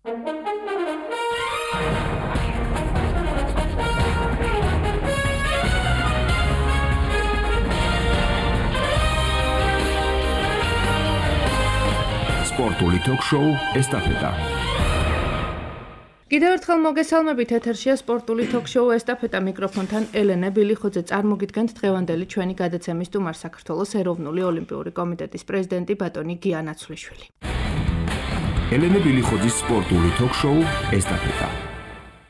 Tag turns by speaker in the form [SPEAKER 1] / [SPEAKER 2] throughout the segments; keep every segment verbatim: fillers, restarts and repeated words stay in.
[SPEAKER 1] სპორტული ток-შოუ ესტაფეტა.
[SPEAKER 2] კიდევ ერთხელ მოგესალმებით, ეთერშია სპორტული ток-შოუ ესტაფეტა, მიკროფონთან ელენე ბილიხოძე. წარმოგიდგენთ დღევანდელი ჩვენი გადაცემის სტუმარ, საქართველოს ეროვნული ოლიმპიური კომიტეტის პრეზიდენტი ბატონი გია ნაცვლიშვილი.
[SPEAKER 1] ელენე ბილიხოძის სპორტული ток-შოუ ესტაფეტა.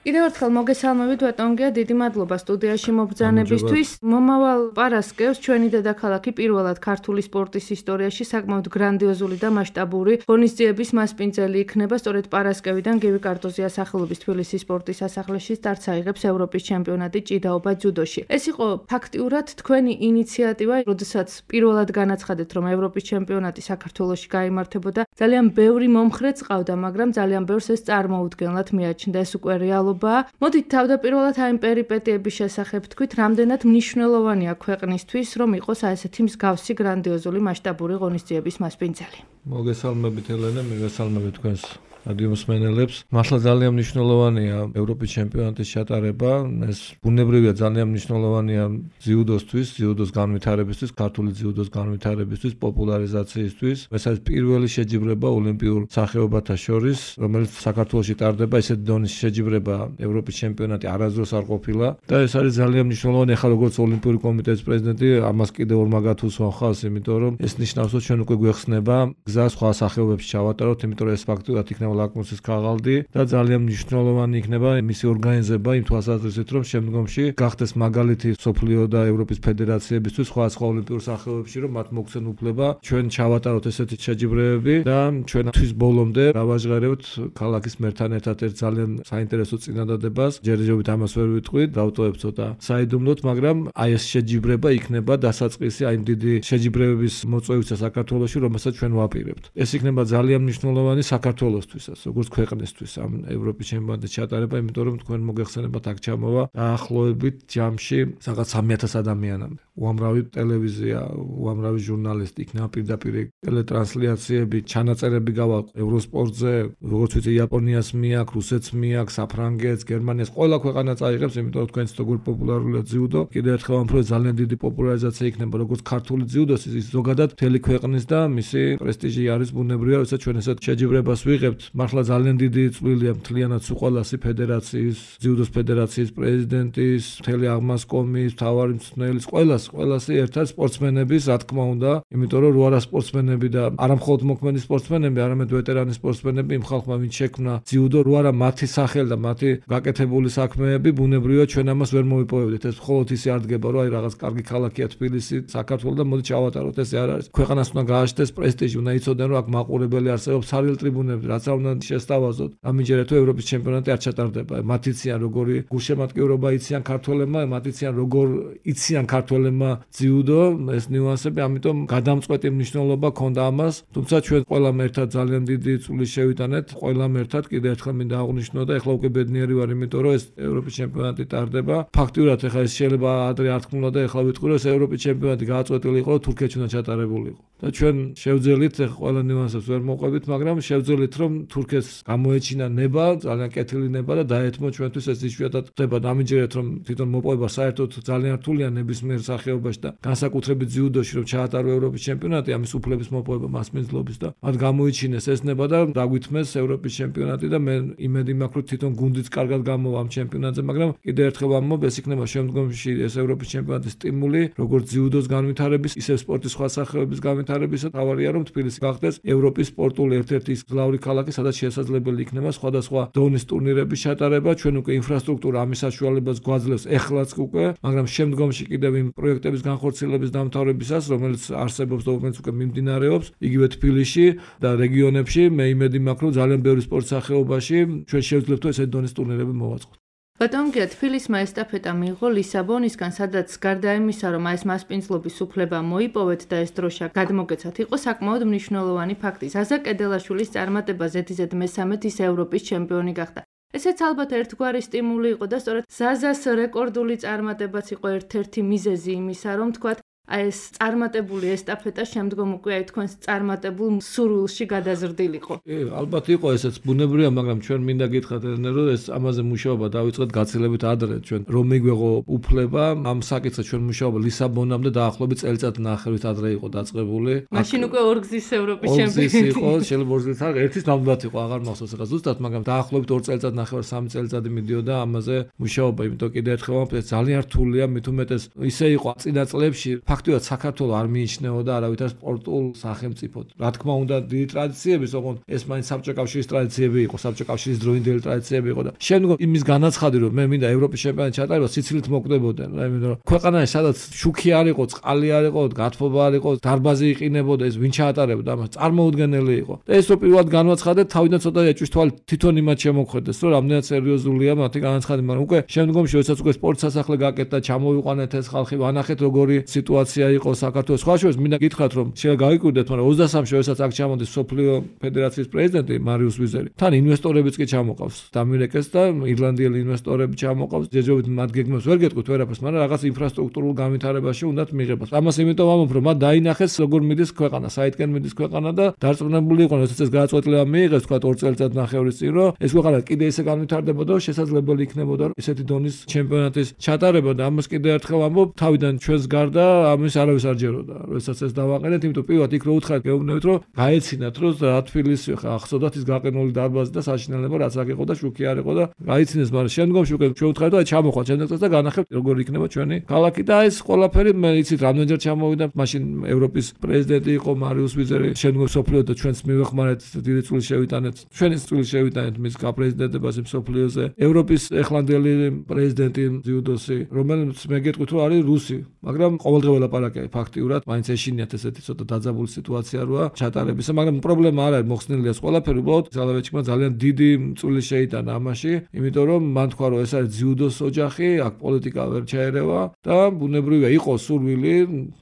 [SPEAKER 2] კიდევ ერთხელ მოგესალმებით, ბატონ გია, დიდი მადლობა სტუდიაში მობრძანებისთვის. მომავალ პარასკევს ჩვენი დედაქალაქი პირველად ქართული სპორტის ისტორიაში საკმაოდ გრანდიოზული და მასშტაბური ღონისძიების მასპინძელი იქნება. სწორედ პარასკევიდან გივი კარტოზიას სახელობის თბილისის სპორტის სასახლეში სტარტს აიღებს ევროპის ჩემპიონატი ჭიდაობა ძუდოში. ეს იყო ფაქტიურად თქვენი ინიციატივა, როდესაც პირველად განაცხადეთ, რომ ევროპის ჩემპიონატი საქართველოში გაიმართებოდა. ძალიან ბევრი მომხრე წავდა, მაგრამ ძალიან ბევრს ეს წარმოუდგენლად მიაჩნდა. ეს უკვე რეალობა. მოდით თავდაპირველად აი ამ პერიპეტიების შესახებ თქვით, რამდენად მნიშვნელოვანია ქვეყნისთვის, რომ იყოს ასეთი მსგავსი გრანდიოზული მასშტაბური ღონისძიების მასპინძელი.
[SPEAKER 3] მოგესალმებით ელენე, მოგესალმებით თქვენს რადიომსმენელებს. მართლა ძალიან მნიშვნელოვანია ევროპის ჩემპიონატის ჩატარება. ეს ბუნებრივია, ძალიან მნიშვნელოვანია ძიუდოსთვის, ძიუდოს განვითარებისთვის, ქართული ძიუდოს განვითარებისთვის, პოპულარიზაციისთვის. ეს არის პირველი შეჯიბრება ოლიმპიურ სახეობათა შორის, რომელიც საქართველოში ტარდება. ესეთი დონის შეჯიბრება ევროპის ჩემპიონატი არასდროს არ ყოფილა და ეს არის ძალიან მნიშვნელოვანი. ახლა როგორც ოლიმპიური კომიტეტის პრეზიდენტი, ამას კიდევ ორ მაგათ უსვამ ხალხს, იმიტომ რომ ეს ნიშნავს, რომ ჩვენ უკვე გვეხსნება გზა სხვა სახეობებში ჩავატაროთ, იმიტომ რომ ეს ფაქტურად იქნება ლაკმუსის ქაღალდი და ძალიან მნიშვნელოვანი იქნება მისი ორგანიზება იმ თვალსაზრისით, რომ შემდგომში გახდეს მაგალითი სოფლიო და ევროპის ფედერაციებისთვის სხვა სხვა ოლიმპიურ სახეობებში, რომ მათ მოგცენ უფლება ჩვენ ჩავატაროთ ესეთი შეჯიბრებები და ჩვენ თვის ბოლომდე გავაჟღერებთ ქალაქის მერთან ერთად ერთ ძალიან საინტერესო წინადადებას. ჯერჯერობით ამას ვერ ვიტყვით, დავტოვებ ცოტა საიდუმლოდ, მაგრამ აი ეს შეჯიბრება იქნება დასაწყისი აი დიდი შეჯიბრებების მოწვევისა საქართველოში, რომელსაც ჩვენ ვაპირებთ. ეს იქნება ძალიან მნიშვნელოვანი საქართველოსთვის, როგორც ქვეყნისთვის ამ ევროპის ჩემპიონატის ჩატარება, იმიტომ რომ თქვენ მოგეხსენებათ აქ ჩამოვა დაახლოებით ჯამში რაღაც სამი ათას ადამიანამდე. უამრავი ტელევიზია, უამრავი ჟურნალისტი იქნება პირდაპირ ტელეტრანსლიაციები, ჩანაწერები გავა ევროსპორტზე, როგორც ვიცი, იაპონიას მიაქვს, რუსეთს მიაქვს, საფრანგეთს, გერმანიას, ყველა ქვეყანა წაიღებს, იმიტომ რომ თქვენც როგორ პოპულარულია ძიუდო. კიდევ ერთხელ ვამბობ, ძალიან დიდი პოპულარიზაცია იქნება როგორც ქართული ძიუდოს, ის ზოგადად მთელი ქვეყნის და მისი პრესტიჟი არის ბუნებრივია, როცა ჩვენ ესეთ შეჯიბრებას ვიღებთ. მართლა ძალიან დიდი წვლილია მთლიანად სუყვალასი ფედერაციის, ძიუდოს ფედერაციის პრეზიდენტის, მთელი აღმასკომის, მთავარი მწვრთნელის, ყველას, ყველასი ერთად სპორტსმენების, რა თქმა უნდა, იმიტომ რომ რო არა სპორტსმენები და არა მხოლოდ მოქმედი სპორტსმენები, არამედ ვეტერანი სპორტსმენები, იმ ხალხმა ვინც შექმნა ძიუდო, რო არა მათი სახელი და მათი გაკეთებული საქმეები, ბუნებრივია ჩვენ ამას ვერ მოვიპოვებდით. ეს მხოლოდ ისე არ დგება, რომ აი რაღაც კარგი ქალაქია თბილისი, საქართველო და მოდი ჩავატაროთ, ესე არ არის. ქვეყანას უნდა გააჩნდეს პრესტიჟი, უნდა იცოდნენ, რომ აქ მაყურებელი არსებობს, სარიელ ტრიბუნები, რაც არ უნდა შესთავაზოთ. ამიჯერეთ თუ ევროპის ჩემპიონატი არ ჩატარდება. მათ იციან როგორი გულშემატკივრობა იციან ქართველებმა, მათ იციან როგორ იციან ქართველებმა ძიუდო, ეს ნიუანსები, ამიტომ გადამწყვეტი მნიშვნელობა ქონდა ამას. თუმცა ჩვენ ყველამ ერთად ძალიან დიდი წვლილი შევიტანეთ, ყველამ ერთად კიდევ ერთხელ მინდა აღვნიშნო და ეხლა უკვე ბედნიერი ვარ, იმიტომ რომ ეს ევროპის ჩემპიონატი ტარდება. ფაქტიურად ეხლა ეს შეიძლება ადრე არ თქმულა და ეხლა ვიტყვი, რომ ეს ევროპის ჩემპიონატი გააწყვეტილი იყო, რომ თურქეთში უნდა ჩატარებულიყო. და ჩვენ შევძელით, ეხლა ყველა ნიუანსებს ვერ მოყვებით, მაგრამ შევძელით, რომ თურქეთს გამოეჩინა ნება, ძალიან კეთილი ნება და დაეთმო ჩვენთვის ეს იშვიათად ხდება. ამიჯერეთ რომ თვითონ მოპოვება საერთოდ ძალიან რთულია ნებისმიერ სახეობაში და განსაკუთრებით ძიუდოში, რომ ჩაატარო ევროპის ჩემპიონატი, ამის უფლების მოპოვება მასპინძლობის და მათ გამოიჩინეს ეს ნება და დაგვithmes ევროპის ჩემპიონატი და მე იმედი მაქვს, რომ თვითონ გუნდიც კარგად გამოვა ამ ჩემპიონატზე, მაგრამ კიდევ ერთხელ ვამბობ, ეს იქნება შემდგომში ეს ევროპის ჩემპიონატის სტიმული, როგორც ძიუდოს განვითარების, ისე სპორტის სხვა სახეობების განვითარებისა. თავარია რომ თბილისი გახდეს ევროპის სპორტული ერთ-ერთი გლავრი ქალაქი, სადაც შესაძლებელი იქნება სხვადასხვა დონის ტურნირების ჩატარება. ჩვენ უკვე ინფრასტრუქტურა ამის საშუალებას გვაძლევს ეხლაც უკვე, მაგრამ შემდგომში კიდევ იმ პროექტების განხორციელების დამთავრებისას, რომელიც არსებობს და რომელიც უკვე მიმდინარეობს, იგივე თბილისში და რეგიონებში, მე იმედი მაქვს, რომ ძალიან ბევრი სპორტ სახეობაში ჩვენ შევძლებთ ესეთი დონის ტურნირები მოვაწყოთ.
[SPEAKER 2] ბატონ გია, თბილისმა ესტაფეტა მიიღო ლისაბონისგან, სადაც გარდა იმისა, რომ ეს მასპინძლობის უფლება მოიპოვეთ და ეს დროშა გადმოგეცათ, იყო საკმაოდ მნიშვნელოვანი ფაქტი. ზაზა კედელაშვილის წარმატება ზედიზედ მესამედ ის ევროპის ჩემპიონი გახდა. ესეც ალბათ ერთგვარი სტიმული იყო და სწორედ ზაზას რეკორდული წარმატებაც იყო ერთ-ერთი მიზეზი იმისა, რომ თქვათ აი ეს წარმატებული ესტაფეტა შემდგომ უკვე აი თქვენს წარმატებულ სურვილში გადაზრდილიყო.
[SPEAKER 3] კი, ალბათ იყო ესეც ბუნებრივია, მაგრამ ჩვენ მინდა გითხრათ რომ ეს ამაზე მუშაობა დავიწყეთ გაცილებით ადრე ჩვენ რომ მიგვეღო უფლება ამ საკითხზე ჩვენ მუშაობა ლისაბონამდე დაახლოებით წელიწად ნახევრის ადრე იყო დაწყებული.
[SPEAKER 2] მაშინ უკვე ორგზის ევროპის
[SPEAKER 3] ჩემპიონი იყო, შეიძლება ორგზის არ ერთის ნამდვილად იყო, აღარ მახსოვს ახლა ზუსტად, მაგრამ დაახლოებით ორ წელიწად ნახევარ სამი წელიწადი მიდიოდა ამაზე მუშაობა, იმიტომ კიდე ერთხელ ვამბობ, ძალიან რთულია, მით უმეტეს ისე იყო წინა წლებში ფაქტობრივად საქართველოს არ მიიჩნეოდა არავითარ სპორტულ სახელმწიფოდ. რა თქმა უნდა, დიდი ტრადიციების, ოღონდ ეს მაინც საბჭოთა კავშირის ტრადიციები იყო, საბჭოთა კავშირის დროინდელი ტრადიციები იყო და შემდგომ იმის განაცხადი რომ მე მინდა ევროპის ჩემპიონატი ჩატარება, სიცილით მოკვდებოდნენ, იმიტომ რომ ქვეყანაში სადაც შუქი არ იყო, წყალი არ იყო, გათბობა არ იყო, დარბაზი იყინებოდა, ეს ვინ ჩაატარებდა ამას, წარმოუდგენელი იყო. და ეს რო პირველად განაცხადეთ, თავიდან ცოტა ეჭვის თვალი თვითონ იმათ შემოხვედეს, რომ რამდენად სერიოზულია მათი განაცხადი, მაგრამ უკვე შემდგომში როდესაც უკვე სპორტ სასახლე გაკეთდა, ჩამოვიყვანეთ ეს ხალხი, ვანახეთ როგორი სიტუაცია იყო საქართველოს. სხვა შორის მინდა გითხრათ რომ შეიძლება გაიგივდეთ, მაგრამ ოცდასამში როდესაც აქ ჩამოდის სოფლიო ფედერაციის პრეზიდენტი მარიუს ვიზერი, თან ინვესტორებიც კი ჩამოყავს, დამირეკეს და ირლანდიელი ინვესტორები ჩამოყავს. ჯერჯერობით მათ გეგმებს ვერ გეტყვით ვერაფერს, მაგრამ რაღაც ინფრასტრუქტურულ განვითარებაში უნდათ მიიღებას. ამას იმიტომ ვამბობ, რომ მათ დაინახეს როგორ მიდის ქვეყანა, საითკენ მიდის ქვეყანა და დარწმუნებული იყვნენ, როდესაც ეს გადაწყვეტილება მიიღეს, თქვა ორ წელიწად ნახევრის წინ, რომ ეს ქვეყანა კიდე ისე განვითარდებოდა, რომ შესაძლებელი იქნებოდა ესეთი დონის ჩემპიონატის ჩატარება და ამას კიდე ერთხელ ვამბობ, თავიდან ჩვენს გარდა ამის არავის არ ჯეროდა. როდესაც ეს დავაყენეთ, იმიტომ პირველად იქ რო უთხარით გეუბნებით, რომ გაეცინათ, რომ რა თბილისი ხა ახსოვდათ ის გაყინული დარბაზი და საშინელება რაც აქ იყო და შუქი არ იყო და გაიცინეს, მაგრამ შემდგომში უკვე ჩვენ უთხარით, აი ჩამოხვალ შემდეგ წელს და განახებთ როგორ იქნება ჩვენი ქალაქი და ეს ყველაფერი მე იცით რამდენჯერ ჩამოვიდა, მაშინ ევროპის პრეზიდენტი იყო მარიუს ვიზერი, შემდგომ სოფლიო და ჩვენს მივეხმარეთ დიდი წვლილი შევიტანეთ, ჩვენი წვლილი შევიტანეთ მის გაპრეზიდენტებაზე სოფლიოზე. ევროპის ეხლანდელი პრეზიდენტი ძიუდოსი, რომელიც მე გეტყვით რომ არის რუსი, მაგრამ ყოველდღე ველაპარაკია ფაქტიურად, მაინც ეშინიათ ესეთი ცოტა დაძაბული სიტუაცია როა ჩატარებისა, მაგრამ პრობლემა არ არის, მოხსნილია ეს ყველაფერი, უბრალოდ ზალავეჩიკმა ძალიან დიდი წვლილი შეიტანა ამაში, იმიტომ რომ მან თქვა რომ ეს არის ძიუდოს ოჯახი, აქ პოლიტიკა ვერ ჩაერევა და ბუნებრივია იყო სურვილი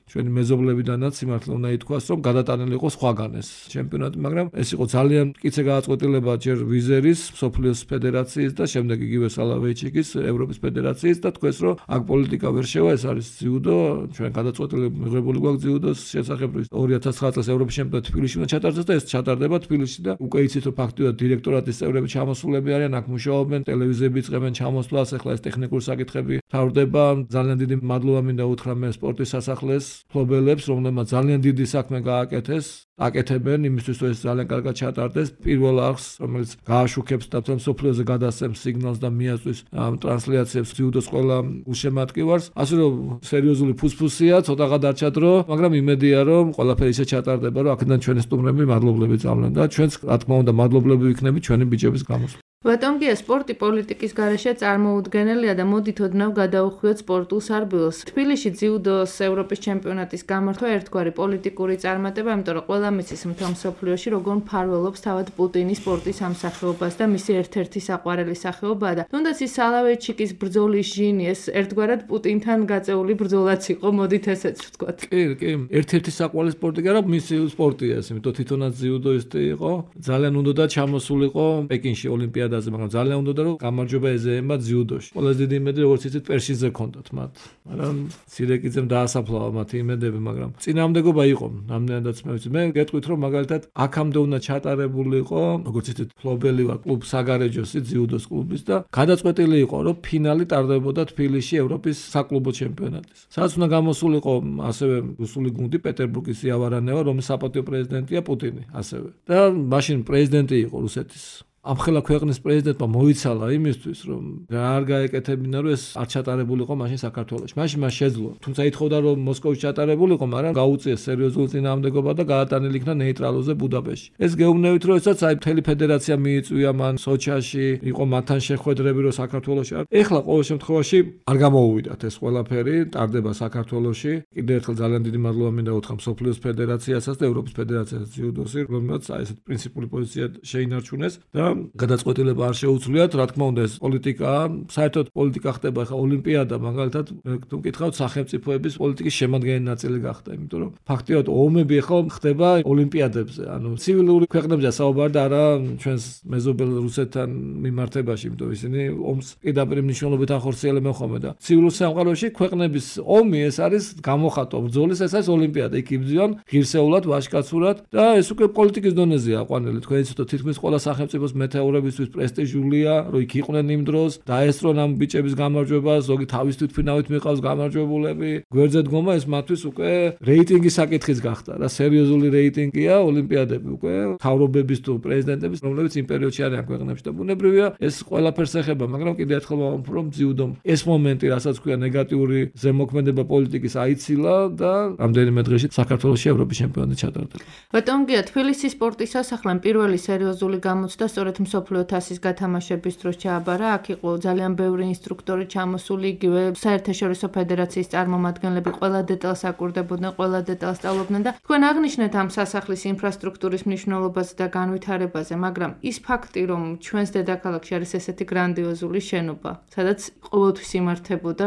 [SPEAKER 3] ჩვენი მეზობლებიდანაც სიმართლე უნდა ითქვას, რომ გადატანილი იყო სხვაგან ეს ჩემპიონატი, მაგრამ ეს იყო ძალიან მტკიცე გადაწყვეტილება ჯერ ვიზერის, სოფლიოს ფედერაციის და შემდეგ იგივე სალავეიჩიკის ევროპის ფედერაციის და თქვეს, რომ აქ პოლიტიკა ვერ შევა, ეს არის ძიუდო, ჩვენ გადაწყვეტილება მიღებული გვაქვს ძიუდოს შესახებ, ორი ათას ცხრა წელს ევროპის ჩემპიონატი თბილისში უნდა ჩატარდეს და ეს ჩატარდება თბილისში და უკვე იცით რომ ფაქტობრივად დირექტორატის წევრები ჩამოსულები არიან, აქ მუშაობენ, ტელევიზიები იწყებენ ჩამოსვლას, ახლა ეს ტექნიკური საკითხები თავდება. ძალიან დიდი მადლობა მინდა უთხრა მე სპორტის სასახლეს ფლობელებს, რომლებმაც ძალიან დიდი საქმე გააკეთეს, აკეთებენ იმისთვის, რომ ეს ძალიან კარგად ჩატარდეს. პირველ არხს, რომელიც გააშუქებს და სოფლიოზე გადასცემს სიგნალს და მიაწვის ამ ტრანსლაციებს ძიუდოს ყველა უშემატკივარს. ასე რომ სერიოზული ფუსფუსია, ცოტაღა დარჩა დრო, მაგრამ იმედია, რომ ყველაფერი ისე ჩატარდება, რომ აქედან ჩვენი სტუმრები მადლობლები წავლენ და ჩვენც რა თქმა უნდა მადლობლები ვიქნებით ჩვენი ბიჭების გამოსვლით.
[SPEAKER 2] ბატონგია, სპორტი პოლიტიკის გარეშე წარმოუდგენელია და მოდით ოდნავ გადაუხვიოთ სპორტულ სარბილოს. თბილისში ძიუდოს ევროპის ჩემპიონატის გამართვა ერთგვარი პოლიტიკური წარმატება, იმიტომ რომ ყველა მისის მთელ მსოფლიოში როგორ მფარველობს თავად პუტინი სპორტის ამ სახეობას და მისი ერთ-ერთი საყვარელი სახეობაა და თუნდაც ის სალავეიჩიკის ბრძოლის ჟინი, ეს ერთგვარად პუტინთან გაწეული ბრძოლაც იყო, მოდით ესეც ვთქვათ.
[SPEAKER 3] კი, კი, ერთ-ერთი საყვარელი სპორტი კი არა, მისი სპორტია ეს, იმიტომ თვითონაც ძიუდოისტი იყო, ძალიან უნდა ჩამოსულიყო პეკინში ოლიმპიადაზე, მაგრამ ძალიან უნდა რომ გამარჯვება ეზეება ძიუდოში. ყველაზე დიდი იმედი როგორც იცით პერშიზე ჰქონდათ მათ. მაგრამ სირეკიძემ დაასაფლავა მათი იმედები, მაგრამ წინამდებობა იყო. ნამდვილადაც მე ვიცი, მე გეტყვით რომ მაგალითად აქამდე უნდა ჩატარებულიყო, როგორც იცით, ფლობელი ვარ კლუბ საგარეჯოსი ძიუდოს კლუბის და გადაწყვეტილი იყო, რომ ფინალი ტარდებოდა თბილისში ევროპის საკლუბო ჩემპიონატის. სადაც უნდა გამოსულიყო ასევე რუსული გუნდი პეტერბურგის იავარანევა, რომლის საპატიო პრეზიდენტია პუტინი ასევე. და მაშინ პრეზიდენტი იყო რუსეთის. ამხელა ქვეყნის პრეზიდენტმა მოიცალა იმისთვის, რომ არ გაეკეთებინა, რომ ეს არ ჩატარებულიყო მაშინ საქართველოში. მაშინ მას შეძლო. თუმცა ითხოვდა, რომ მოსკოვში ჩატარებულიყო, მაგრამ გაუწიეს სერიოზული წინააღმდეგობა და გაატანილი იქნა ნეიტრალურზე ბუდაპეშტში. ეს გეუბნებით, რომ ესაც აი მთელი ფედერაცია მიიწვია მან სოჩაში, იყო მათთან შეხვედრები, რომ საქართველოში არ. ეხლა ყოველ შემთხვევაში არ გამოუვიდათ ეს ყველაფერი, ტარდება საქართველოში. კიდევ ერთხელ ძალიან დიდი მადლობა მინდა უთხრა სოფლიოს ფედერაციასაც და ევროპის ფედერაციასაც ძიუდოსი, რომელმაც აი ესეთ პრინციპული პოზიცია შეინარჩუნეს და გადაწყვეტილება არ შეუძლიათ, რა თქმა უნდა ეს პოლიტიკაა, საერთოდ პოლიტიკა ხდება ხა ოლიმპიადა, მაგალითად თუ მკითხავთ სახელმწიფოების პოლიტიკის შემადგენელი ნაწილი გახდა, იმიტომ რომ ფაქტიურად ომები ხო ხდება ოლიმპიადებზე, ანუ ცივილური ქვეყნებზეა საუბარი და არა ჩვენს მეზობელ რუსეთთან მიმართებაში, იმიტომ ისინი ომს პირდაპირ მნიშვნელობით ახორციელებენ ხოლმე და ცივილურ სამყაროში ქვეყნების ომი ეს არის გამოხატვა ბრძოლის, ეს არის ოლიმპიადა, იქ იბრძვიან ღირსეულად, ვაჟკაცურად და ეს უკვე პოლიტიკის დონეზეა აყვანილი. თქვენ იცით, თითქმის ყველა სახელმწიფოს მეთაურებისთვის პრესტიჟულია, რომ იქ იყვნენ იმ დროს, დაესწრონ ამ ბიჭების გამარჯვებას, ზოგი თავის თვითმფრინავით მიყავს გამარჯვებულები. გვერდზე დგომა ეს მათთვის უკვე რეიტინგის საკითხიც გახდა რა, სერიოზული რეიტინგია ოლიმპიადები უკვე თავრობების თუ პრეზიდენტების, რომლებიც იმ პერიოდში არიან ქვეყნებში და ბუნებრივია ეს ყველაფერს ეხება, მაგრამ კიდევ ერთხელ ვამბობ, რომ ძიუდომ ეს მომენტი, რასაც ქვია ნეგატიური ზემოქმედება პოლიტიკის აიცილა და რამდენიმე დღეში საქართველოში ევროპის ჩემპიონატი ჩატარდება.
[SPEAKER 2] ბატონ გია, თბილისის სპორტის სასახლემ პირველი სერიოზული გამოცდა სწორედ მსოფლიო თასის გათამაშების დროს ჩააბარა. აქ იყო ძალიან ბევრი ინსტრუქტორი ჩამოსული, იგივე საერთაშორისო ფედერაციის წარმომადგენლები, ყველა დეტალს აკურდებოდნენ, ყველა დეტალს სწავლობდნენ და თქვენ აღნიშნეთ ამ სასახლის ინფრასტრუქტურის მნიშვნელობაზე და განვითარებაზე, მაგრამ ის ფაქტი, რომ ჩვენს დედაქალაქში არის ესეთი გრანდიოზული შენობა, სადაც ყოველთვის იმართებოდა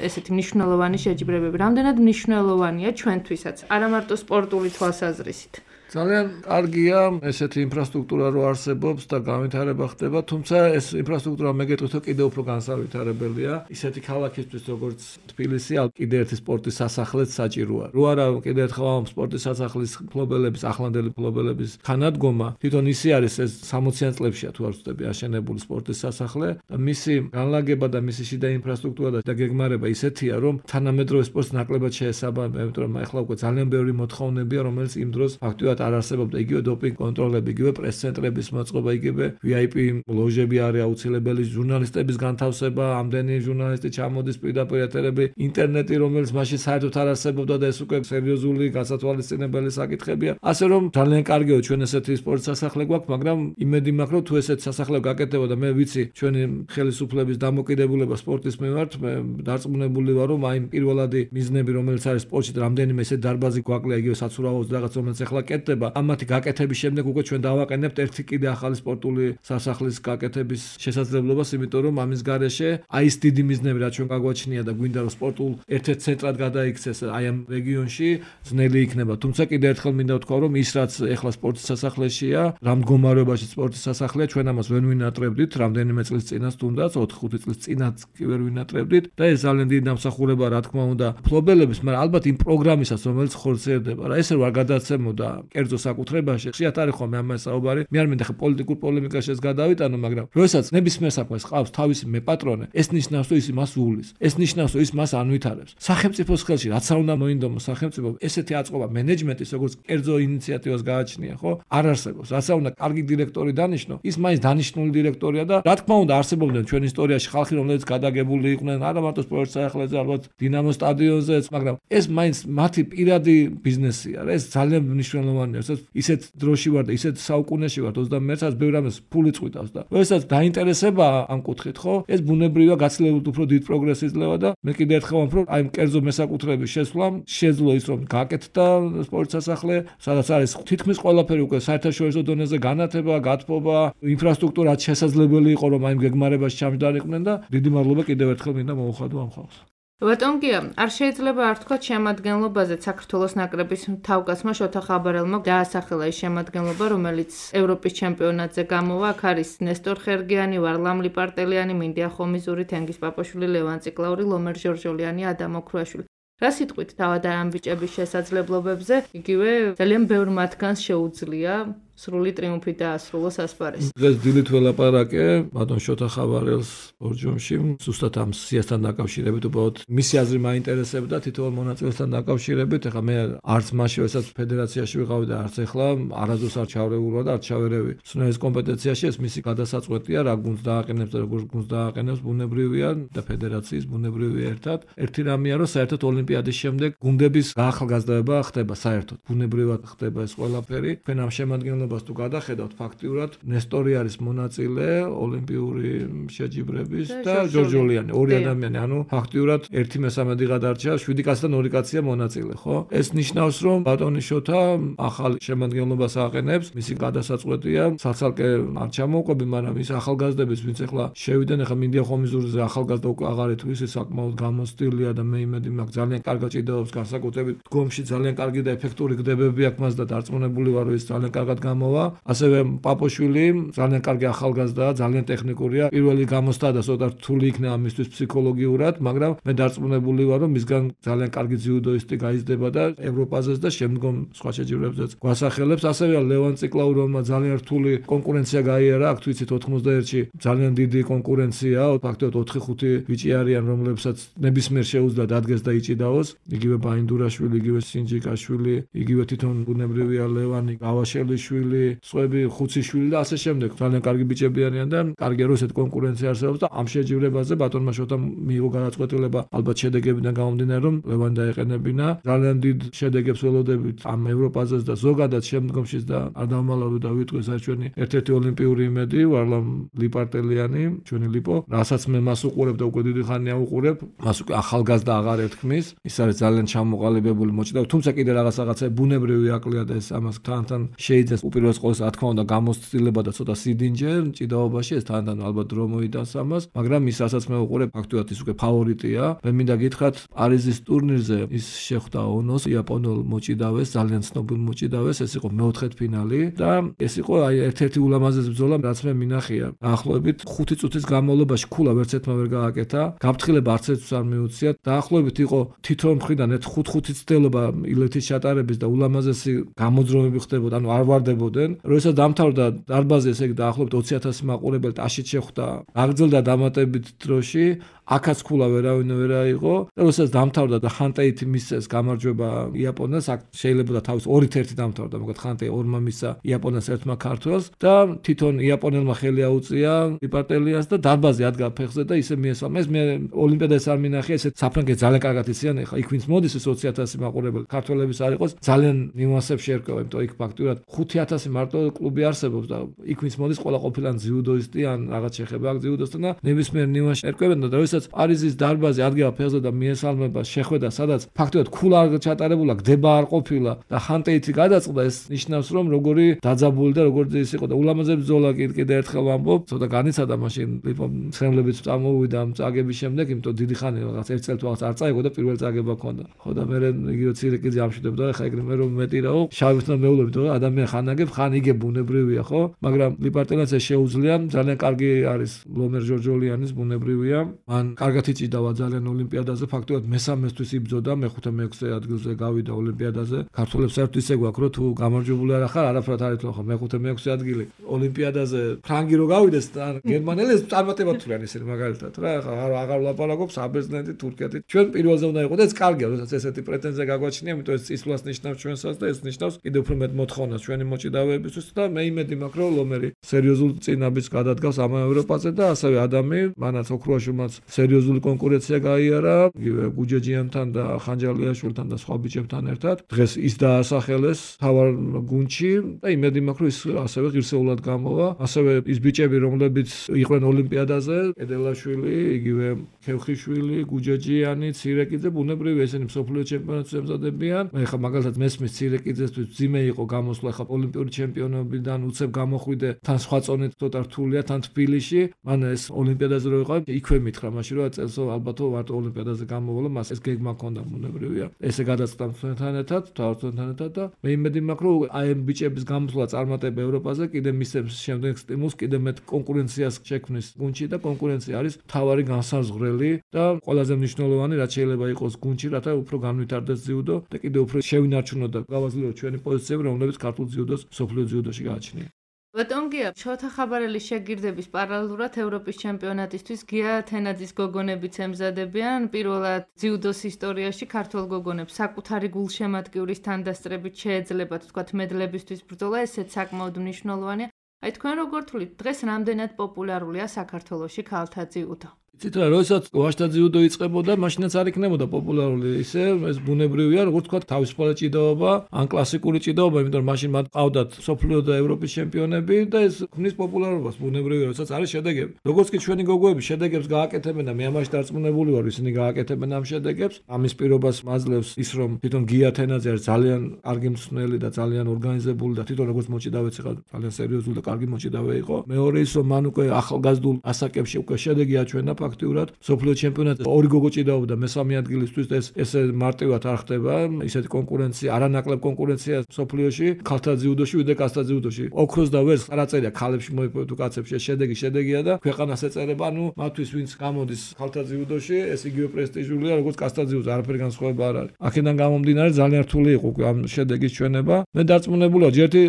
[SPEAKER 2] ესეთი მნიშვნელოვანი შეჯიბრებები, რამდენად მნიშვნელოვანია ჩვენთვისაც, არა მარტო სპორტული თვალსაზრისით.
[SPEAKER 3] ძალიან კარგია ესეთი ინფრასტრუქტურა რო არსებობს და განვითარება ხდება, თუმცა ეს ინფრასტრუქტურა მეგეთქვით რომ კიდევ უფრო განსაკუთრებელია. ისეთი ქალაქისთვის როგორც თბილისი, კიდევ ერთი სპორტის სასახლეც საჭიროა. რო არა კიდევ ერთხელ ამ სპორტის სასახლის მფლობელების, ახლანდელი მფლობელების თანადგომა, თვითონ ისი არის ეს სამოციან წლებშია თუ არ ვცდები აშენებული სპორტის სასახლე და მისი განლაგება და მისი შიდა ინფრასტრუქტურა და გეგმარება ისეთია, რომ თანამედროვე სპორტს ნაკლებად შეესაბამება, იმიტომ რომ ახლა უკვე ძალიან ბევრი მოთხოვნებია, რომელიც იმ დროს ფაქტიურად არ არსებობდა იგივე დოპინგ კონტროლები, იგივე პრეს-ცენტრების მოწყობა, იგივე ვი აი პი ლოჟები არის აუცილებელი, ჟურნალისტების განთავსება, ამდენი ჟურნალისტი ჩამოდის პირდაპირ ეთერები, ინტერნეტი, რომელიც მაშინ საერთოდ არ არსებობდა და ეს უკვე სერიოზული გასათვალისწინებელი საკითხებია. ასე რომ ძალიან კარგია ჩვენ ესეთი სპორტის სასახლე გვაქვს, მაგრამ იმედი მაქვს, რომ თუ ესეთი სასახლე გაკეთდება და მე ვიცი ჩვენი ხელისუფლების დამოკიდებულება სპორტის მიმართ, მე დარწმუნებული ვარ, რომ აი პირველადი მიზნები, რომელიც არის სპორტში, რამდენიმე ესეთი დარბაზი გვაკლია, იგივე საცურაოს რაღაც, რომელიც ახლა კეთდება, ამათი გაკეთების შემდეგ უკვე ჩვენ დავაყენებთ ერთი კიდე ახალი სპორტული სასახლის გაკეთების შესაძლებლობას, იმიტომ რომ ამის გარეშე აი ეს დიდი მიზნები, რაც ჩვენ გაგვაჩნია და გვინდა რომ სპორტულ ერთ-ერთ ცენტრად გადაიქცეს აი ამ რეგიონში, ძნელი იქნება. თუმცა კიდე ერთხელ მინდა ვთქვა, რომ ის რაც ახლა სპორტის სასახლეშია, რა მდგომარეობაში სპორტის სასახლეა, ჩვენ ამას ვერ ვინატრებდით, რამდენიმე წლის წინას თუნდაც ოთხ ხუთი წლის წინაც კი ვერ ვინატრებდით და ეს ძალიან დიდი დამსახურება რა თქმა უნდა მფლობელების, მაგრამ ალბათ იმ პროგრამისას, რომელიც ხორციელდება. რა ესე რომ არ გადაცემოდა კერძო საკუთრებაში, ხშირად არის ხოლმე ამას საუბარი. მე არ მინდა ხე პოლიტიკურ პოლემიკაში ეს გადავიტანო, მაგრამ როდესაც ნებისმიერ საქმეს ყავს თავისი მეპატრონე, ეს ნიშნავს, რომ ის მას უვლის. ეს ნიშნავს, რომ ის მას ანვითარებს. სახელმწიფოს ხელში რაც არ უნდა მოინდომოს სახელმწიფო, ესეთი აწყობა მენეჯმენტის, როგორც კერძო ინიციატივას გააჩნია, ხო? არ არსებობს. რაც არ უნდა კარგი დირექტორი დანიშნო, ის მაინც დანიშნული დირექტორია და რა თქმა უნდა არსებობდნენ ჩვენ ისტორიაში ხალხი, რომლებიც გადაგებული იყვნენ, არა მარტო სპორტის სასახლეზე, ალბათ დინამოს სტადიონზეც, მაგრამ ეს მაინც მათი პირადი ბიზნესია. ეს ძალიან მნიშვნელოვანია. ისეთ დროში ვარ და ისეთ საუკუნეში ვარ ოცდამეერთე წელს ბევრ ამას ფული წვიტავს და როდესაც დაინტერესება ამ კუთხით, ხო? ეს ბუნებრივია გაცილებით უფრო დიდ პროგრესს იძლევა და მე კიდევ ერთხელ ვამბობ, რომ აი კერძო მესაკუთრების შესვლამ შეძლო ის რომ გაკეთდა სპორტის სასახლე, სადაც არის თითქმის ყველაფერი უკვე საერთაშორისო დონეზე განათება, გათბობა, ინფრასტრუქტურა შესაძლებელი იყო რომ აი გეგმარებაში ჩამჯდარიყვნენ და დიდი მადლობა კიდევ ერთხელ მინდა მოუხადო ამ ხალხს.
[SPEAKER 2] ბატონ გია, არ შეიძლება არ თქვა შემადგენლობაზე საქართველოს ნაკრების თავკაცმა შოთა ხაბარელმა დაასახელა ის შემადგენლობა, რომელიც ევროპის ჩემპიონატზე გამოვა. აქ არის ნესტორ ხერგიანი, ვარლამ ლიპარტელიანი, მინდია ხომიზური, თენგიზ პაპაშვილი, ლევან ციკლაური, ლომერ ჟორჟოლიანი, ადამ ოქრუაშვილი. რა სიტყვით თავად ამ ბიჭების შესაძლებლობებზე, იგივე ძალიან ბევრ მათგანს შეუძლია სრული ტრიუმფით დაასრულოს ასპარეზი.
[SPEAKER 3] დღეს დილით ველაპარაკე ბატონ შოთა ხაბარელს ბორჯომში, ზუსტად ამ სიასთან დაკავშირებით, უბრალოდ მისი აზრი მაინტერესებდა თითოეულ მონაწილესთან დაკავშირებით. ეხლა მე არც მაშინ, როდესაც ფედერაციაში ვიყავი და არც ეხლა არასდროს არ ჩავრეულვარ და არ ჩავერევი. სუნერის კომპეტენციაში ეს მისი გადასაწყვეტია, რა გუნდს დააყენებს და როგორ გუნდს დააყენებს, ბუნებრივია და ფედერაციის ბუნებრივია ერთად. ერთი რამეა, რომ საერთოდ ოლიმპიადის შემდეგ გუნდების გაახალგაზრდობა ხდება საერთოდ. ბუნებრივად ხდება ეს ყველაფერი. ჩვენ ამ შემადგენლობაში შემადგენლობას თუ გადახედავთ, ფაქტიურად ნესტორი არის მონაწილე ოლიმპიური შეჯიბრების და ჯორჯოლიანი, ორი ადამიანი, ანუ ფაქტიურად ერთი მესამედი გადარჩა, შვიდი კაციდან ორი კაცია მონაწილე, ხო? ეს ნიშნავს, რომ ბატონი შოთა ახალ შემადგენლობას აყენებს, მისი გადასაწყვეტია, საცალკე არ ჩამოუყვები, მაგრამ ის ახალგაზრდების, ვინც ახლა შევიდნენ, ახლა მინდია ხომიზურზე ახალგაზრდა უკვე აღარ ეთქვი, ის საკმაოდ გამოსტილია და მე იმედი მაქვს, ძალიან კარგად ჭიდაობს, განსაკუთრებით დგომში ძალიან კარგი და ეფექტური გდებები აქვს მას და დარწმუნებული ვარ, რომ ის ძალიან კარგად გამოვა. ასევე პაპოშვილი ძალიან კარგი ახალგაზრდაა, ძალიან ტექნიკურია. პირველი გამოსთა და ცოტა რთული იქნება მისთვის ფსიქოლოგიურად, მაგრამ მე დარწმუნებული ვარ, რომ მისგან ძალიან კარგი ძიუდოისტი გაიზრდება და ევროპაზეც და შემდგომ სხვა შეჯიბრებზეც გვასახელებს. ასევე ლევან ციკლაური, რომელმაც ძალიან რთული კონკურენცია გაიარა, აქ თუ იცით ოთხმოცდაერთში ძალიან დიდი კონკურენცია, ფაქტობრივად ოთხი ხუთი ბიჭი არიან, რომლებსაც ნებისმიერ შეუძლია დადგეს და იჭიდაოს. იგივე ბაინდურაშვილი, იგივე სინჯიკაშვილი, იგივე თვითონ ბუნებრივია ლევანი, გავაშელიშვილი, სხვები ხუციშვილი და ასე შემდეგ. ძალიან კარგი ბიჭები არიან და კარგია რომ ესეთ კონკურენცია არსებობს და ამ შეჯიბრებაზე ბატონმა შოთამ მიიღო გადაწყვეტილება, ალბათ შედეგებიდან გამომდინარე, რომ ლევანი დაეყენებინა. ძალიან დიდ შედეგებს ველოდებით ამ ევროპაზეც და ზოგადად შემდგომშიც და არ დავმალავდე და ვიტყვი ეს ჩვენი ერთ-ერთი ოლიმპიური იმედი, ვარლამ ლიპარტელიანი, ჩვენი ლიპო, რასაც მე მას უყურებ და უკვე დიდი ხანია უყურებ, მას უკვე ახალგაზრდა აღარ ეთქმის. ის არის ძალიან ჩამოყალიბებული მოჭიდავ, თუმცა კიდე რაღაც რაღაცა ბუნებრივი აკლია და ეს ამას თან-თან შეიძლება უპირველეს ყოვლისა რა თქმა უნდა გამოცდილება და ცოტა სიდინჯე ჭიდაობაში, ეს თან-თან ალბათ დრო მოიტანს ამას, მაგრამ ის რასაც მე უყურებ, ფაქტობრივად ის უკვე ფავორიტია. მე მინდა გითხრათ, პარიზის ტურნირზე ის შეხვდა ონოს, იაპონელ მოჭიდავეს, ძალიან ცნობილ მოჭიდავეს, ეს იყო მეოთხედფინალი და ეს იყო აი ერთ-ერთი ულამაზესი ბრძოლა, რაც მე მინახია. დაახლოებით ხუთი წუთის განმავლობაში ქულა ვერც ერთმა ვერ გააკეთა, გაფრთხილება არც ერთს არ მიუწია. დაახლოებით იყო თითოეულ მხრიდან ერთ ხუთ-ხუთი ცდელობა ილეთის ჩატარების და ულამაზესი გამოძრომები ხდებოდა, ანუ არ ვარდებოდნენ. როდესაც დამთავრდა დარბაზი, ესე იგი დაახლოებით ოცი ათასი მაყურებელი ტაშით შეხვდა, აგრძელდა დამატებით დროში, აქაც ქულა ვერავინ ვერ აიღო და როდესაც დამთავრდა და ხანტეითი მისცეს გამარჯვება იაპონელს, აქ შეიძლება და თავის ორით ერთი დამთავრდა, მოკლედ ხანტეი ორმა მისცა იაპონელს ერთმა ქართველს და თვითონ იაპონელმა ხელი აუწია ლიპარტელიას და დარბაზი ადგა ფეხზე და ისე მიესალმა. ეს მე ოლიმპიადას არ მინახია, ესეთ საფრანგეთს ძალიან კარგად იციან, ეხლა იქ ვინც მოდის ეს ოცი ათასი მაყურებელი ქართველების არ იყოს, ძალიან ნიუანსებში ერკვევა, იმიტომ იქ ფაქტურად ხუთი ათასი მარტო კლუბი არსებობს და იქ ვინც მოდის, ყველა ყოფილან ძიუდოისტი ან რაღაც შეხება აქვს ძიუდოსთან და ნებისმიერ ნიუანსში ერკვევენ და როდესაც პარიზის დარბაზი ადგება ფეხზე და მიესალმება შეხვედრა, სადაც ფაქტობრივად ქულა არ ჩატარებულა, გდება არ ყოფილა და ხანტეითი გადაწყდა, ეს ნიშნავს, რომ როგორი დაძაბული და როგორი ის იყო და ულამაზესი ბრძოლა კიდე ერთხელ ვამბობ, ცოტა განიცადა მაშინ ლიპო მცემლებიც წამოვიდა ამ წაგების შემდეგ, იმიტომ დიდი ხანი რაღაც ერთ წელს რაღაც არ წაიღო და პირველ წაგება ჰქონდა. ხო და მე იგივე ცირეკიძე ამშვიდობდა, ეხა ეგრე მე რომ მეტი რაო, შავისთან მეულობთ, რომ ადამიანი ხან აგებ, ხან იგებ ბუნებრივია, ხო? მაგრამ ლიპარტელას ეს შეუძლია, ძალიან კარგი არის ლომერ ჯორჯოლიანის ბუნებრივია. მან კარგად იჭიდავა ძალიან ოლიმპიადაზე, ფაქტობრივად მესამესთვის იბრძოდა, მეხუთე მეექვსე ადგილზე გავიდა ოლიმპიადაზე. ქართველებს საერთოდ ისე გვაქვს, რომ თუ გამარჯვებული არ ახარ, არაფრად არ ეთქვა, ხო, მეხუთე მეექვსე ადგილი ოლიმპიადაზე ფრანგი რო გავიდეს და გერმანელებს წარმატება თუ რან ისინი მაგალითად რა, ხა აღარ ვლაპარაკობ საბერძნეთი, თურქეთი. ჩვენ პირველზე უნდა იყო და ეს კარგია, როდესაც ესეთი პრეტენზია გაგვაჩნია, იმიტომ ეს წისვლას ნიშნავს ჩვენსაც და ეს ნიშნავს კიდევ უფრო მეტ მოთხოვნას ჩვენი მოჭიდავეებისთვის და მე იმედი მაქვს, რომ ლომერი სერიოზულ წინაბის გადადგავს ამ ევროპაზე და ასევე ადამი, მანაც ოქროაშვილმაც სერიოზული კონკურენცია გაიარა, იგივე გუჯეჯიანთან და ხანჯალიაშვილთან და სხვა ბიჭებთან ერთად. დღეს ის დაასახელეს თავარ გუნდში და იმედი მაქვს, რომ ის ასევე ღირსეულად გამოვა. ასევე ის ბიჭები, რომლებიც იყვნენ ოლიმპიადაზე, კედელაშვილი, იგივე ქევხიშვილი, გუჯეჯიანი, ცირეკიძე, ბუნებრივია ესენი მსოფლიო ჩემპიონატს ემზადებიან. მე ხა მაგალითად მესმის ცირეკიძესთვის ძიმე იყო გამოსვლა, ხა ოლიმპიური ჩემპიონობიდან უცებ გამოხვიდე, თან სხვა წონით ცოტა რთულია, თან თბილისში. მან ეს ოლიმპიადაზე რო იყო, იქვე მითხრა მაშინ რომ წელსო ალბათო ვარტო ოლიმპიადაზე გამოვალო, მას ეს გეგმა ჰქონდა ბუნებრივია. ესე გადაწყდა ჩვენთან ერთად, თავართან ერთად და მე იმედი მაქვს, რომ აი ამ ბიჭების გამოსვლა წარმატება ევროპაზე კიდე მისცემს შემდეგ სტიმულს, კიდე მეტ კონკურენციას შექმნის გუნდში და კონკურენცია არის თავარი განსაზღვრელი და ყველაზე მნიშვნელოვანი, რაც შეიძლება იყოს გუნდში, რათა უფრო განვითარდეს ძიუდო და კიდე უფრო შევინარჩუნოთ და გავაძლიეროთ ჩვენი პოზიციები, რომლებიც ქართულ ძიუდოს სოფლიო ძიუდოში გააჩნია.
[SPEAKER 2] ბატონ გია, შოთა ხაბარელის შეგირდების პარალელურად ევროპის ჩემპიონატისთვის გია თენაძის გოგონებიც ემზადებიან. პირველად ძიუდოს ისტორიაში ქართველ გოგონებს საკუთარი გულშემატკივრის თანდასწრებით შეეძლებათ, თქვათ, მედლებისთვის ბრძოლა, ესეც საკმაოდ მნიშვნელოვანია. აი თქვენ როგორ თვლით, დღეს რამდენად პოპულარულია საქართველოში ქალთა ძიუდო?
[SPEAKER 3] ცით რა, როდესაც ვაჟთა ძიუდო იწყებოდა, მაშინაც არ იქნებოდა პოპულარული. ისე ეს ბუნებრივია, როგორც თქვა, თავისუფალი ჭიდაობა, ან კლასიკური ჭიდაობა, იმიტომ რომ მაშინ მათ ყავდათ სოფლიო და ევროპის ჩემპიონები და ეს ქმნის პოპულარობას ბუნებრივია, როდესაც არის შედეგები. როგორც კი ჩვენი გოგოები შედეგებს გააკეთებენ და მე ამაში დარწმუნებული ვარ, ისინი გააკეთებენ ამ შედეგებს, ამის პირობას მაძლევს ის, რომ თვითონ გია თენაძე არის ძალიან კარგი მსმენელი და ძალიან ორგანიზებული და თვითონ როგორც მოჭიდავეც იყო, ძალიან სერიოზული და კარგი მოჭიდავე იყო. მეორე ის, რომ მან უკვე ახალგაზრდულ ასაკებში უკვე შედეგი აჩვენა ფაქტიურად. სოფლიო ჩემპიონატზე ორი გოგო ჭიდაობდა მესამე ადგილისთვის და ეს ესე მარტივად არ ხდება. ისეთი კონკურენცია, არანაკლებ კონკურენცია სოფლიოში, ქალთა ძიუდოში, ვიდრე კაცთა ძიუდოში. ოქროს და ვერცხლს არ აწერია ქალებში მოიპოვეთ თუ კაცებში, შედეგი შედეგია და ქვეყანას ეწერება, ანუ მათთვის ვინც გამოდის ქალთა ძიუდოში, ეს იგივე პრესტიჟულია, როგორც კაცთა ძიუდზე, არაფერი განსხვავება არ არის. აქედან გამომდინარე ძალიან რთული იყო ამ შედეგის ჩვენება. მე დარწმუნებული ვარ, ჯერთი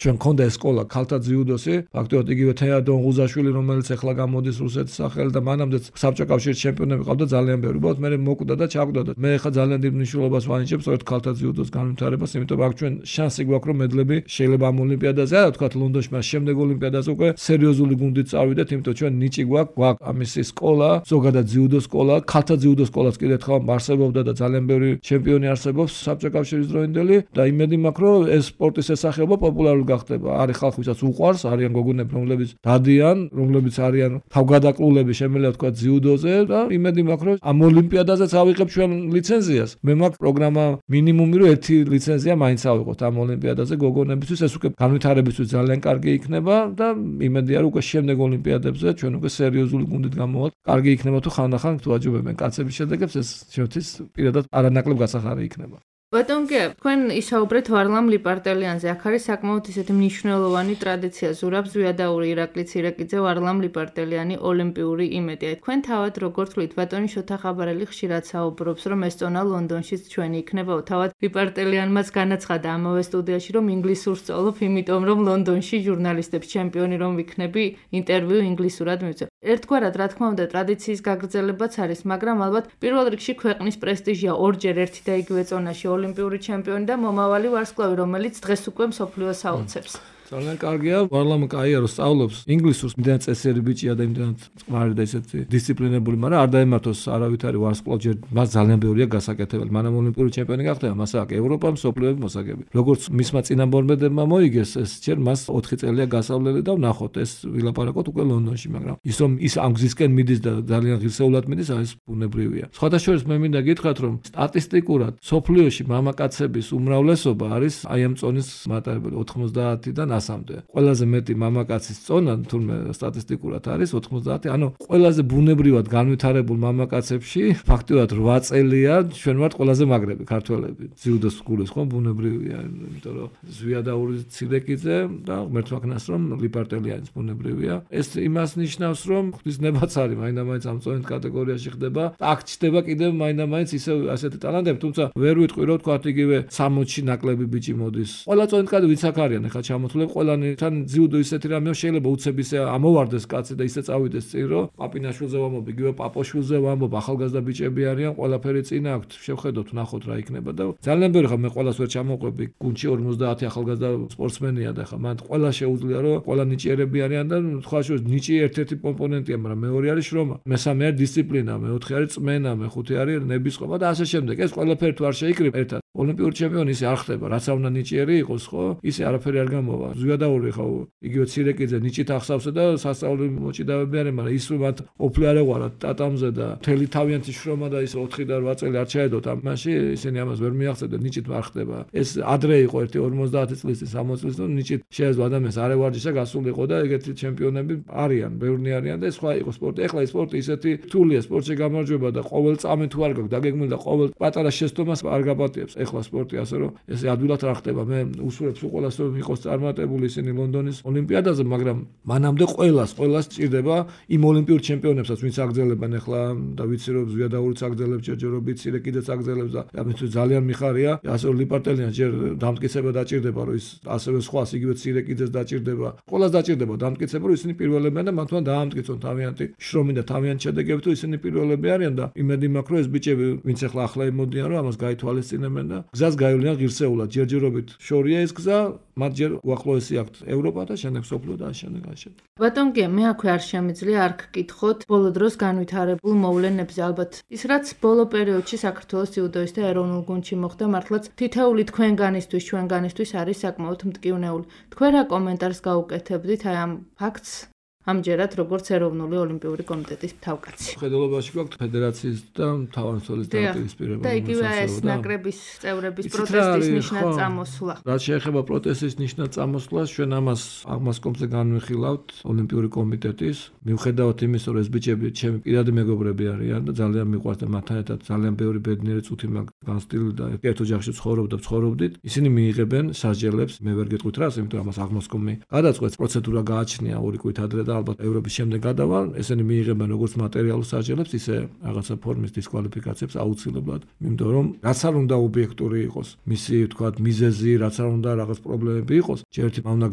[SPEAKER 3] ჩვენ გქონდა ეს სკოლა ქალთა ძიუდოში, ფაქტობრივად იგივე თეა დონღუზაშვილი, რომელიც ახლა გამოდის რუსეთის სახელით და მანამდეც საბჭოთა კავშირის ჩემპიონები ყავდა ძალიან ბევრი. უბრალოდ მე მოკვდა და ჩაკვდა და მე ახლა ძალიან დიდ მნიშვნელობას ვანიჭებ სწორედ ქალთა ძიუდოს განვითარებას, იმიტომ აქ ჩვენ შანსი გვაქვს რომ მედლები შეიძლება ამ ოლიმპიადაზე, არა თქვა ლონდონში, მაგრამ შემდეგ ოლიმპიადაზე უკვე სერიოზული გუნდით წავიდეთ, იმიტომ ჩვენ ნიჭი გვაქვს, გვაქვს ამის სკოლა, ზოგადად ძიუდო სკოლა, ქალთა ძიუდო სკოლაც კიდევ ერთხელ არსებობდა და ძალიან ბევრი ჩემპიონი არსებობს საბჭოთა კავშირის დროინდელი და იმედი მაქვს რომ ეს სპორტის სახეობა პოპულარული გახდება. არის ხალხი, ვისაც უყვარს, არიან გოგონები, რომლებიც დადიან, რომლებიც არიან თავგადაკლულები, შემიძლია თქვა ძიუდოზე და იმედი მაქვს რომ ამ ოლიმპიადაზეც ავიღებ ჩვენ ლიცენზიას. მე მაქვს პროგრამა მინიმუმი რომ ერთი ლიცენზია მაინც ავიღოთ ამ ოლიმპიადაზე გოგონებისთვის, ეს უკვე განვითარებისთვის ძალიან კარგი იქნება და იმედია რომ უკვე შემდეგ ოლიმპიადებზე ჩვენ უკვე სერიოზული გუნდით გამოვალთ. კარგი იქნება თუ ხანდახან თუ აჯობებენ კაცების შედეგებს, ეს ჩვენთვის პირადად არანაკლებ გასახარი იქნება.
[SPEAKER 2] ბატონ გია, თქვენ ისაუბრეთ ვარლამ ლიპარტელიანზე. აქ არის საკმაოდ ისეთი მნიშვნელოვანი ტრადიცია. ზურაბ ზვიადაური, ირაკლი ცირეკიძე, ვარლამ ლიპარტელიანი, ოლიმპიური იმედი. თქვენ თავად როგორ თვლით, ბატონი შოთა ხაბარელი ხშირად საუბრობს, რომ ეს წონა ლონდონშიც ჩვენი იქნება. თავად ლიპარტელიანმაც განაცხადა ამავე სტუდიაში, რომ ინგლისურს სწავლობ, იმიტომ რომ ლონდონში ჟურნალისტებს ჩემპიონი რომ ვიქნები, ინტერვიუ ინგლისურად მივცე. ერთგვარად, რა თქმა უნდა, ტრადიციის გაგრძელებაც არის, მაგრამ ალბათ პირველ რიგში ქვეყნის პრესტიჟია ორჯერ ერთი და იგივე წონაში ოლიმპიური ჩემპიონი და მომავალი ვარსკვლავი, რომელიც დღეს უკვე მსოფლიოს აუცებს.
[SPEAKER 3] ძალიან კარგია, ვარლამ კაია რომ სწავლობს ინგლისურს, იმდენად წესიერი ბიჭია და იმდენად წყნარი და ისეთი დისციპლინებული, მაგრამ არ დაემართოს არავით არის ვარსკვლავ, ჯერ მას ძალიან ბევრია გასაკეთებელი. მანამ ოლიმპიური ჩემპიონი გახდება, მას აქვს ევროპა, მსოფლიოები მოსაგები. როგორც მისმა წინამორბედებმა მოიგეს, ეს ჯერ მას ოთხი წელია გასავლელი და ვნახოთ, ეს ვილაპარაკოთ უკვე ლონდონში, მაგრამ ის რომ ის ამ გზისკენ მიდის და ძალიან ღირსეულად მიდის, ეს ბუნებრივია. სხვათა შორის მე მინდა გითხრათ, რომ სტატისტიკურად სოფლიოში მამაკაცების უმრავლესობა არის აი ამ წონის მატარებელი ოთხმოცდაათიდან ასამდე. ყველაზე მეტი მამაკაცის წონა თურმე სტატისტიკურად არის ოთხმოცდაათი, ანუ ყველაზე ბუნებრივად განვითარებულ მამაკაცებში ფაქტიურად რვა წელია ჩვენ ვართ ყველაზე მაგრები ქართველები. ძიუდოს გულის ხო ბუნებრივია, იმიტომ რომ ზვიადაური ცირეკიძე და ღმერთმა ქნას რომ ლიპარტელიანის ბუნებრივია. ეს იმას ნიშნავს რომ ღვთისნებაც არის, მაინდა-მაინც ამ წონით კატეგორიაში ხდება. აქ ჩდება კიდევ მაინდა-მაინც ისე ასეთი ტალანტები, თუმცა ვერ ვიტყვი რომ თქვა იგივე სამოცში ნაკლები ბიჭი მოდის. ყველა წონით კადე ვიცი აქ არიან ახლა ჩამოთვლილ ყველანთან ძიუდო ისეთი რამეა შეიძლება უცებ ისე ამოვარდეს კაცი და ისე წავიდეს წინ რომ პაპინაშვილზე ვამბობ, იგივე პაპოშვილზე ვამბობ, ახალგაზრდა ბიჭები არიან, ყველაფერი წინ აქვთ, შევხედოთ, ნახოთ რა იქნება და ძალიან ბევრი ხა მე ყველას ვერ ჩამოყვები, გუნდში ორმოცდაათი ახალგაზრდა სპორტსმენია და ხა მან ყველა შეუძლია რომ ყველა ნიჭიერები არიან და თქვა შორის ნიჭი ერთ-ერთი კომპონენტია, მაგრამ მეორე არის შრომა, მესამე არის დისციპლინა, მეოთხე არის წმენა, მეხუთე არის ნებისყოფა და ასე შემდეგ. ეს ყველაფერი თუ არ შეიკრიბ ერთად ოლიმპიური ჩემპიონი ისე არ ხდება, რაც არ უნდა ნიჭიერი იყოს, ხო? ისე არაფერი არ გამოვა. ზვიადაური ხო იგივე ცირეკიძე ნიჭით ახსავსა და სასწავლო მოჭიდავები არიან, მაგრამ ის რომ მათ ოფლი არ ეღვარათ ტატამზე და თელი თავიანთი შრომა და ის ოთხი და რვა წელი არ ჩაედოთ ამაში, ისინი ამას ვერ მიაღწევდნენ, ნიჭით არ ხდება. ეს ადრე იყო ერთი ორმოცდაათი წლის, სამოცი წლის, რომ ნიჭით შეეძლო ადამიანს არ ევარჯიშა, გასულიყო და ეგეთი ჩემპიონები არიან, ბევრნი არიან და სხვა იყო სპორტი. ეხლა ეს სპორტი ისეთი რთულია, სპორტში გამარჯვება და ყოველ წამი თუ არ გაქვს დაგეგმილი და ყოველ პატარა შეცდომას არ გაპატიებს. ეხლა სპორტი ასე რომ ეს ადვილად არ ხდება. მე უსურვებ ყველას რომ იყოს წარმატებული ისინი ლონდონის ოლიმპიადაზე, მაგრამ მანამდე ყველას, ყველას ჭირდება იმ ოლიმპიურ ჩემპიონებსაც, ვინც აგრძელებენ ახლა და ვიცი რომ ზვიადაურიც აგრძელებს, ჯერჯერობით ცირეკიძეც აგრძელებს და ამისთვის ძალიან მიხარია. ასე რომ ლიპარტელიანს ჯერ დამტკიცება დაჭირდება, რომ ის ასევე სხვას იგივე ცირეკიძეს დაჭირდება. ყველას დაჭირდება დამტკიცება, რომ ისინი პირველებია და მათთან დაამტკიცონ თავიანთი შრომი და თავიანთი შედეგები, თუ ისინი პირველები არიან და იმედი მაქვს, რომ ეს ბიჭები, ვინც ახლა ახლა იმოდიან, რომ ამას გაითვალისწინებენ და გზას გაივლიან ღირსეულად. ჯერჯერობით შორია ეს გზა, მათ ჯერ უახლოესი აქვთ ევროპა და შემდეგ სოფლიო და შემდეგ ასე.
[SPEAKER 2] ბატონ გია, მე აქვე არ შემიძლია არ გკითხოთ ბოლო დროს განვითარებულ მოვლენებზე. ალბათ ის რაც ბოლო პერიოდში საქართველოს ძიუდოისტთა ეროვნულ გუნდში მოხდა, მართლაც თითოეული თქვენგანისთვის, ჩვენგანისთვის არის საკმაოდ მტკივნეული. თქვენ რა კომენტარს გაუკეთებდით აი ამ ფაქტს? ამჯერად როგორც ეროვნული ოლიმპიური კომიტეტის თავკაცი.
[SPEAKER 3] ხედელობაში გვაქვს ფედერაციის და მთავარსარდლის დაპირისპირება.
[SPEAKER 2] და იგივე ეს ნაკრების წევრების პროტესტის ნიშნად წამოსვლა.
[SPEAKER 3] რაც შეეხება პროტესტის ნიშნად წამოსვლას, ჩვენ ამას აღმასკომზე განვიხილავთ ოლიმპიური კომიტეტის. მიუხედავად იმისა, რომ ეს ბიჭები ჩემი პირადი მეგობრები არიან და ძალიან მიყვარს და მათთან ერთად ძალიან ბევრი ბედნიერი წუთი მაქვს განსტილი და ერთ ოჯახში ცხოვრობ და ცხოვრობდით. ისინი მიიღებენ სასჯელებს, მე ვერ გეტყვით რას, იმიტომ რომ ამას აღმასკომი გადაწყვეტს, პროცედურა გააჩნია ორი კვირით ადრე და ალბათ ევროპის შემდეგ გადავალ, ესენი მიიღებენ როგორც მატერიალურ სასჯელებს, ისე რაღაცა ფორმის დისკვალიფიკაციებს აუცილებლად, იმიტომ რომ რაც არ უნდა ობიექტური იყოს, მისი თქვათ მიზეზი, რაც არ უნდა რაღაც პრობლემები იყოს, ჯერტი უნდა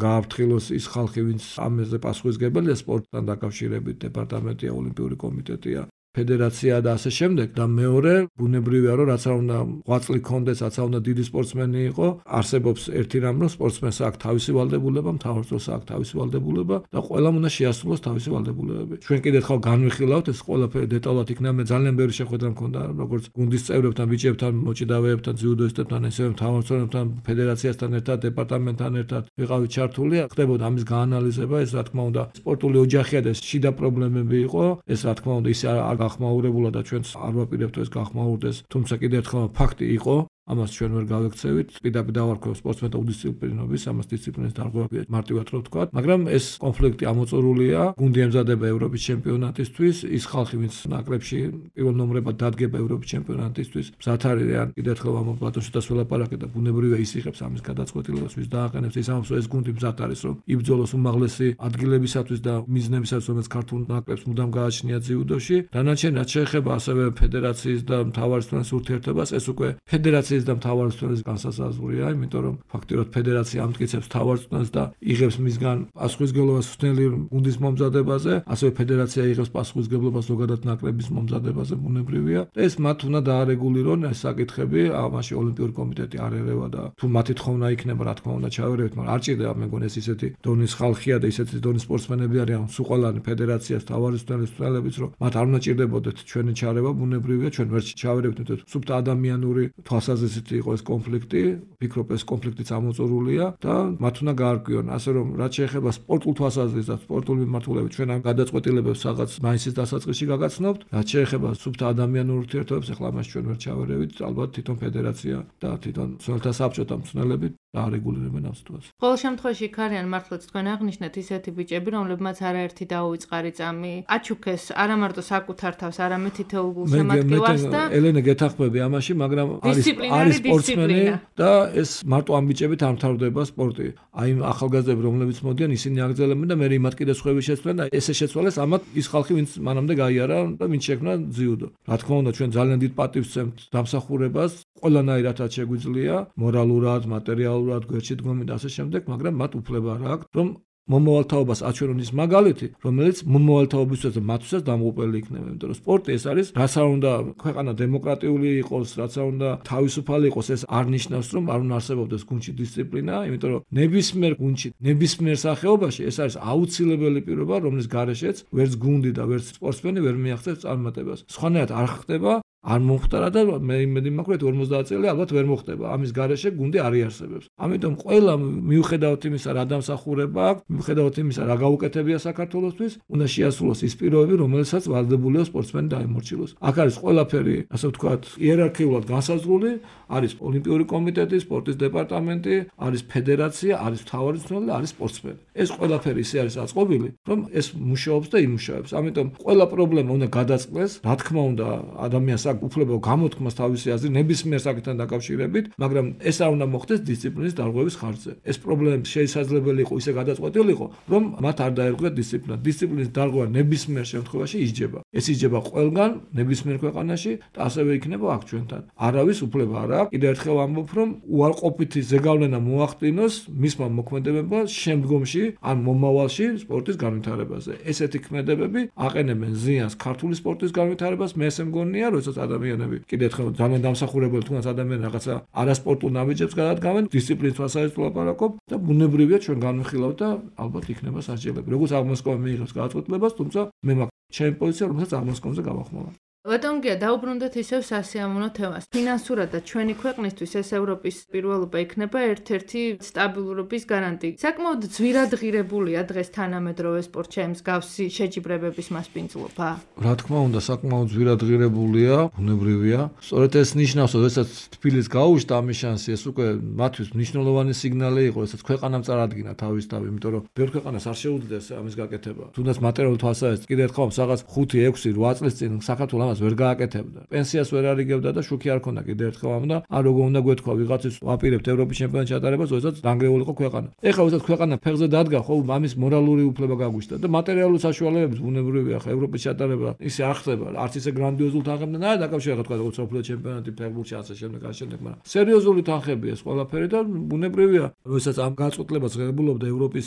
[SPEAKER 3] გააფრთხილოს ის ხალხი, ვინც ამაზე პასუხისმგებელია სპორტთან დაკავშირებით, დეპარტამენტია, ოლიმპიური კომიტეტია, ფედერაცია და ასე შემდეგ და მეორე ბუნებრივია რომ რაც არ უნდა ღვაწლი კონდეს, რაც არ უნდა დიდი სპორტსმენი იყო, არსებობს ერთი რამ რომ სპორტსმენს აქვს თავისი ვალდებულება, მთავრობას აქვს თავისი ვალდებულება და ყველამ უნდა შეასრულოს თავისი ვალდებულებები. ჩვენ კიდევ ხალხ განვიხილავთ ეს ყველაფერი დეტალურად იქნება, მე ძალიან ბევრი შეხვედრა მქონდა როგორც გუნდის წევრებთან, ბიჭებთან, მოჭიდავეებთან, ძიუდოისტებთან, ესევე მთავრობასთან, ფედერაციასთან ერთად, დეპარტამენტთან ერთად ვიყავით ჩართული, ხდებოდა ამის გაანალიზება, ეს რა თქმა უნდა სპორტული ოჯახია და ეს შიდა პრობლემები იყო, ეს რა თქმა უნდა ისე არ გახმაურებულა და ჩვენც არ ვაპირებთ ეს გახმაურდეს, თუმცა კიდევ ერთხელ ფაქტი იყო, ამას ჩვენ ვერ გავექცევით, პირდაპირ დავარქვევ სპორტსმენთა უდისციპლინობის, ამას დისციპლინის დარღვევებია მარტივად რო ვთქვა, მაგრამ ეს კონფლიქტი ამოწურულია, გუნდი ემზადება ევროპის ჩემპიონატისთვის, ის ხალხი, ვინც ნაკრებში პირველ ნომრებად დადგება ევროპის ჩემპიონატისთვის, მზად არიან, კიდევ ერთხელ ამ პლატონშიც ველაპარაკე და ბუნებრივია ის იღებს ამის გადაწყვეტილებას, ვის დააყენებს, ის ამბობს, რომ ეს გუნდი მზად არის, რომ იბრძოლოს უმაღლესი ადგილებისათვის და მიზნებისათვის, რომელიც ქართულ ნაკრებს მუდამ გააჩნია ძიუდოში. დანარჩენ რაც შეეხება ასევე ფედერაციის და მთავარსარდლის ურთიერთობას, ეს უკვე ფედერაციის და მთავარსარდლის განსაზღვრია, იმიტომ რომ ფაქტიურად ფედერაცია ამტკიცებს მთავარსარდლს და იღებს მისგან პასუხისმგებლობას სულ გუნდის მომზადებაზე, ასევე ფედერაცია იღებს პასუხისმგებლობას ზოგადად ნაკრების მომზადებაზე, ბუნებრივია. ეს მათ უნდა დაარეგულირონ ეს საკითხები, ამაში ოლიმპიური კომიტეტი არ ერევა და თუ მათი თხოვნა იქნება, რა თქმა უნდა ჩავერევით, მაგრამ არ ჭირდება, მე მგონი ეს ისეთი დონის ხალხია და ისეთი დონის სპორტსმენები არიან, სულ ყველანი ფედერაციას, მთავარსარდლის წევრებიც, რომ მათ არ უნდა ჭირდებოდეთ ჩვენი ჩარევა, ბუნებრივია, ჩვენ ვერ ჩავერევით, იმიტომ რომ სუფთა ადამიანური თვალსაზრისით ისეთი იყო ეს კონფლიქტი, ვფიქრობ ეს კონფლიქტიც ამოწურულია და მათ უნდა გაარკვიონ, ასე რომ რაც შეეხება სპორტულ თვალსაზრისით და სპორტულ მიმართულებით ჩვენ ამ გადაწყვეტილებებს რაღაც მაისის დასაწყისში გაგაცნობთ, რაც შეეხება სუფთა ადამიანურ ურთიერთობებს, ახლა მას ჩვენ ვერ ჩავერევით, ალბათ თვითონ ფედერაცია და თვითონ მცველთა საბჭოთა მცველები დაარეგულირებენ ამ სიტუაციას.
[SPEAKER 2] ყოველ შემთხვევაში იქ არიან მართლაც თქვენ აღნიშნეთ ისეთი ბიჭები, რომლებმაც არაერთი დაუვიწყარი წამი აჩუქეს არა მარტო საკუთარ თავს, არამედ თითოეულ გულშემატკივარს და
[SPEAKER 3] ელენე გეთახმები ამაში, მაგრამ არის არის სპორტსმენი და ეს მარტო ამ ბიჭებით არ მთავრდება სპორტი. აი ახალგაზრდები რომლებიც მოდიან, ისინი აგრძელებენ და მე იმათ კიდე სხვები შეცვლენ და ესე შეცვალეს ამათ ის ხალხი, ვინც მანამდე გაიარა და ვინც შექმნა ძიუდო. რა თქმა უნდა, ჩვენ ძალიან დიდ პატივს ვცემთ დამსახურებას, ყველანაირადაც შეგვიძლია, მორალურად, მატერიალურად, გვერდში დგომით და ასე შემდეგ, მაგრამ მათ უფლება რა აქვს, რომ მომავალთაობას აჩვენონ ის მაგალითი, რომელიც მომავალთაობისთვის და მათთვისაც დამღუპელი იქნება, იმიტომ რომ სპორტი ეს არის, რაც არ უნდა ქვეყანა დემოკრატიული იყოს, რაც არ უნდა თავისუფალი იყოს, ეს არ ნიშნავს, რომ არ უნდა არსებობდეს გუნდში დისციპლინა, იმიტომ რომ ნებისმიერ გუნდში, ნებისმიერ სახეობაში ეს არის აუცილებელი პირობა, რომლის გარეშეც ვერც გუნდი და ვერც სპორტსმენი ვერ მიაღწევს წარმატებას. სხვანაირად არ ხდება არ მომხდარა და მე იმედი მაქვს რომ ორმოცდაათ წელი ალბათ ვერ მოხდება. ამის გარეშე გუნდი არ იარსებებს. ამიტომ ყველა მიუხედავად იმისა რა დამსახურება აქვს, მიუხედავად იმისა რა გაუკეთებია საქართველოსთვის, უნდა შეასრულოს ის პირობები, რომელსაც ვალდებულია სპორტსმენი დაემორჩილოს. აქ არის ყველაფერი, ასე ვთქვათ, იერარქიულად განსაზღვრული, არის ოლიმპიური კომიტეტი, სპორტის დეპარტამენტი, არის ფედერაცია, არის მთავარი მცველი, არის სპორტსმენი. ეს ყველაფერი ისე არის აწყობილი, რომ ეს მუშაობს და იმუშავებს. ამიტომ ყველა პრობლემა უნდა გადაწყდეს, რა თქმა უნდა, ადამიანს აქვს უფლება გამოთქმას თავისი აზრი ნებისმიერ საკითხთან დაკავშირებით, მაგრამ ეს არ უნდა მოხდეს დისციპლინის დარღვევის ხარჯზე. ეს პრობლემა შესაძლებელი იყო ისე გადაწყვეტილიყო, რომ მათ არ დაერღვიათ დისციპლინა. დისციპლინის დარღვევა ნებისმიერ შემთხვევაში ისჯება. ეს ისჯება ყველგან, ნებისმიერ ქვეყანაში და ასევე იქნება აქ ჩვენთან. არავის უფლება არ აქვს. კიდევ ერთხელ ამბობ, რომ უარყოფითი ზეგავლენა მოახდინოს მისმა მოქმედებებმა შემდგომში ან მომავალში სპორტის განვითარებაზე. ესეთი ქმედებები აყენებენ ზიანს ქართული სპორტის განვითარებას, მე ესე მგონია, როდესაც ადამიანები კიდე ერთხელ ძალიან დამსახურებელი თუნდაც ადამიანები რაღაცა არასპორტულ ნაბიჯებს გადადგამენ, დისციპლინის თვალსაზრისით ვლაპარაკობ და ბუნებრივია ჩვენ განვიხილავთ და ალბათ იქნება სასჯელები. როგორც აღმოსკომი მიიღებს გადაწყვეტილებას, თუმცა მე მაქვს ჩემი პოზიცია, რომელსაც აღმოსკომზე გავახმოვან.
[SPEAKER 2] ბატონ გია, დაუბრუნდეთ ისევ სასიამოვნო თემას. ფინანსურად და ჩვენი ქვეყნისთვის ეს ევროპის პირველობა იქნება ერთ-ერთი სტაბილურობის გარანტი. საკმაოდ ძვირადღირებულია დღეს თანამედროვე სპორტში მსგავსი შეჯიბრებების მასპინძლობა.
[SPEAKER 3] რა თქმა უნდა, საკმაოდ ძვირადღირებულია, ბუნებრივია. სწორედ ეს ნიშნავს, რომ ესაც თბილისს გაუშვდა ამის შანსი, ეს უკვე მათთვის მნიშვნელოვანი სიგნალი იყო, ესაც ქვეყანამ წარადგინა თავისთავად, იმიტომ რომ ბევრ ქვეყანას არ შეუძლიათ ამის გაკეთება. თუნდაც მატერიალური თვალსაზრისით კიდე ერთხელ რაღაც ხუთი, ექვსი, რვა წლის წინ საქართველოს ამას ვერ გააკეთებდა. პენსიას ვერ არიგებდა და შუქი არ ქონდა კიდე ერთხელ ამ და არ როგორ უნდა გვეთქვა ვიღაცის ვაპირებთ ევროპის ჩემპიონატის ჩატარებას, როდესაც დანგრეული იყო ქვეყანა. ეხლა როდესაც ქვეყანა ფეხზე დადგა, ხო, ამის მორალური უფლება გაგვიშთა და მატერიალური საშუალებები ბუნებრივია, ხა ევროპის ჩატარება ისე არ ხდება, არც ისე გრანდიოზულ თანხებთან არ დაკავშირება, თქვა როგორც სოფლიო ჩემპიონატი ფეხბურთში ასე შემდეგ ასე შემდეგ, მაგრამ სერიოზული თანხებია ეს ყველაფერი და ბუნებრივია, როდესაც ამ გაწყვეტილებას ღებულობდა ევროპის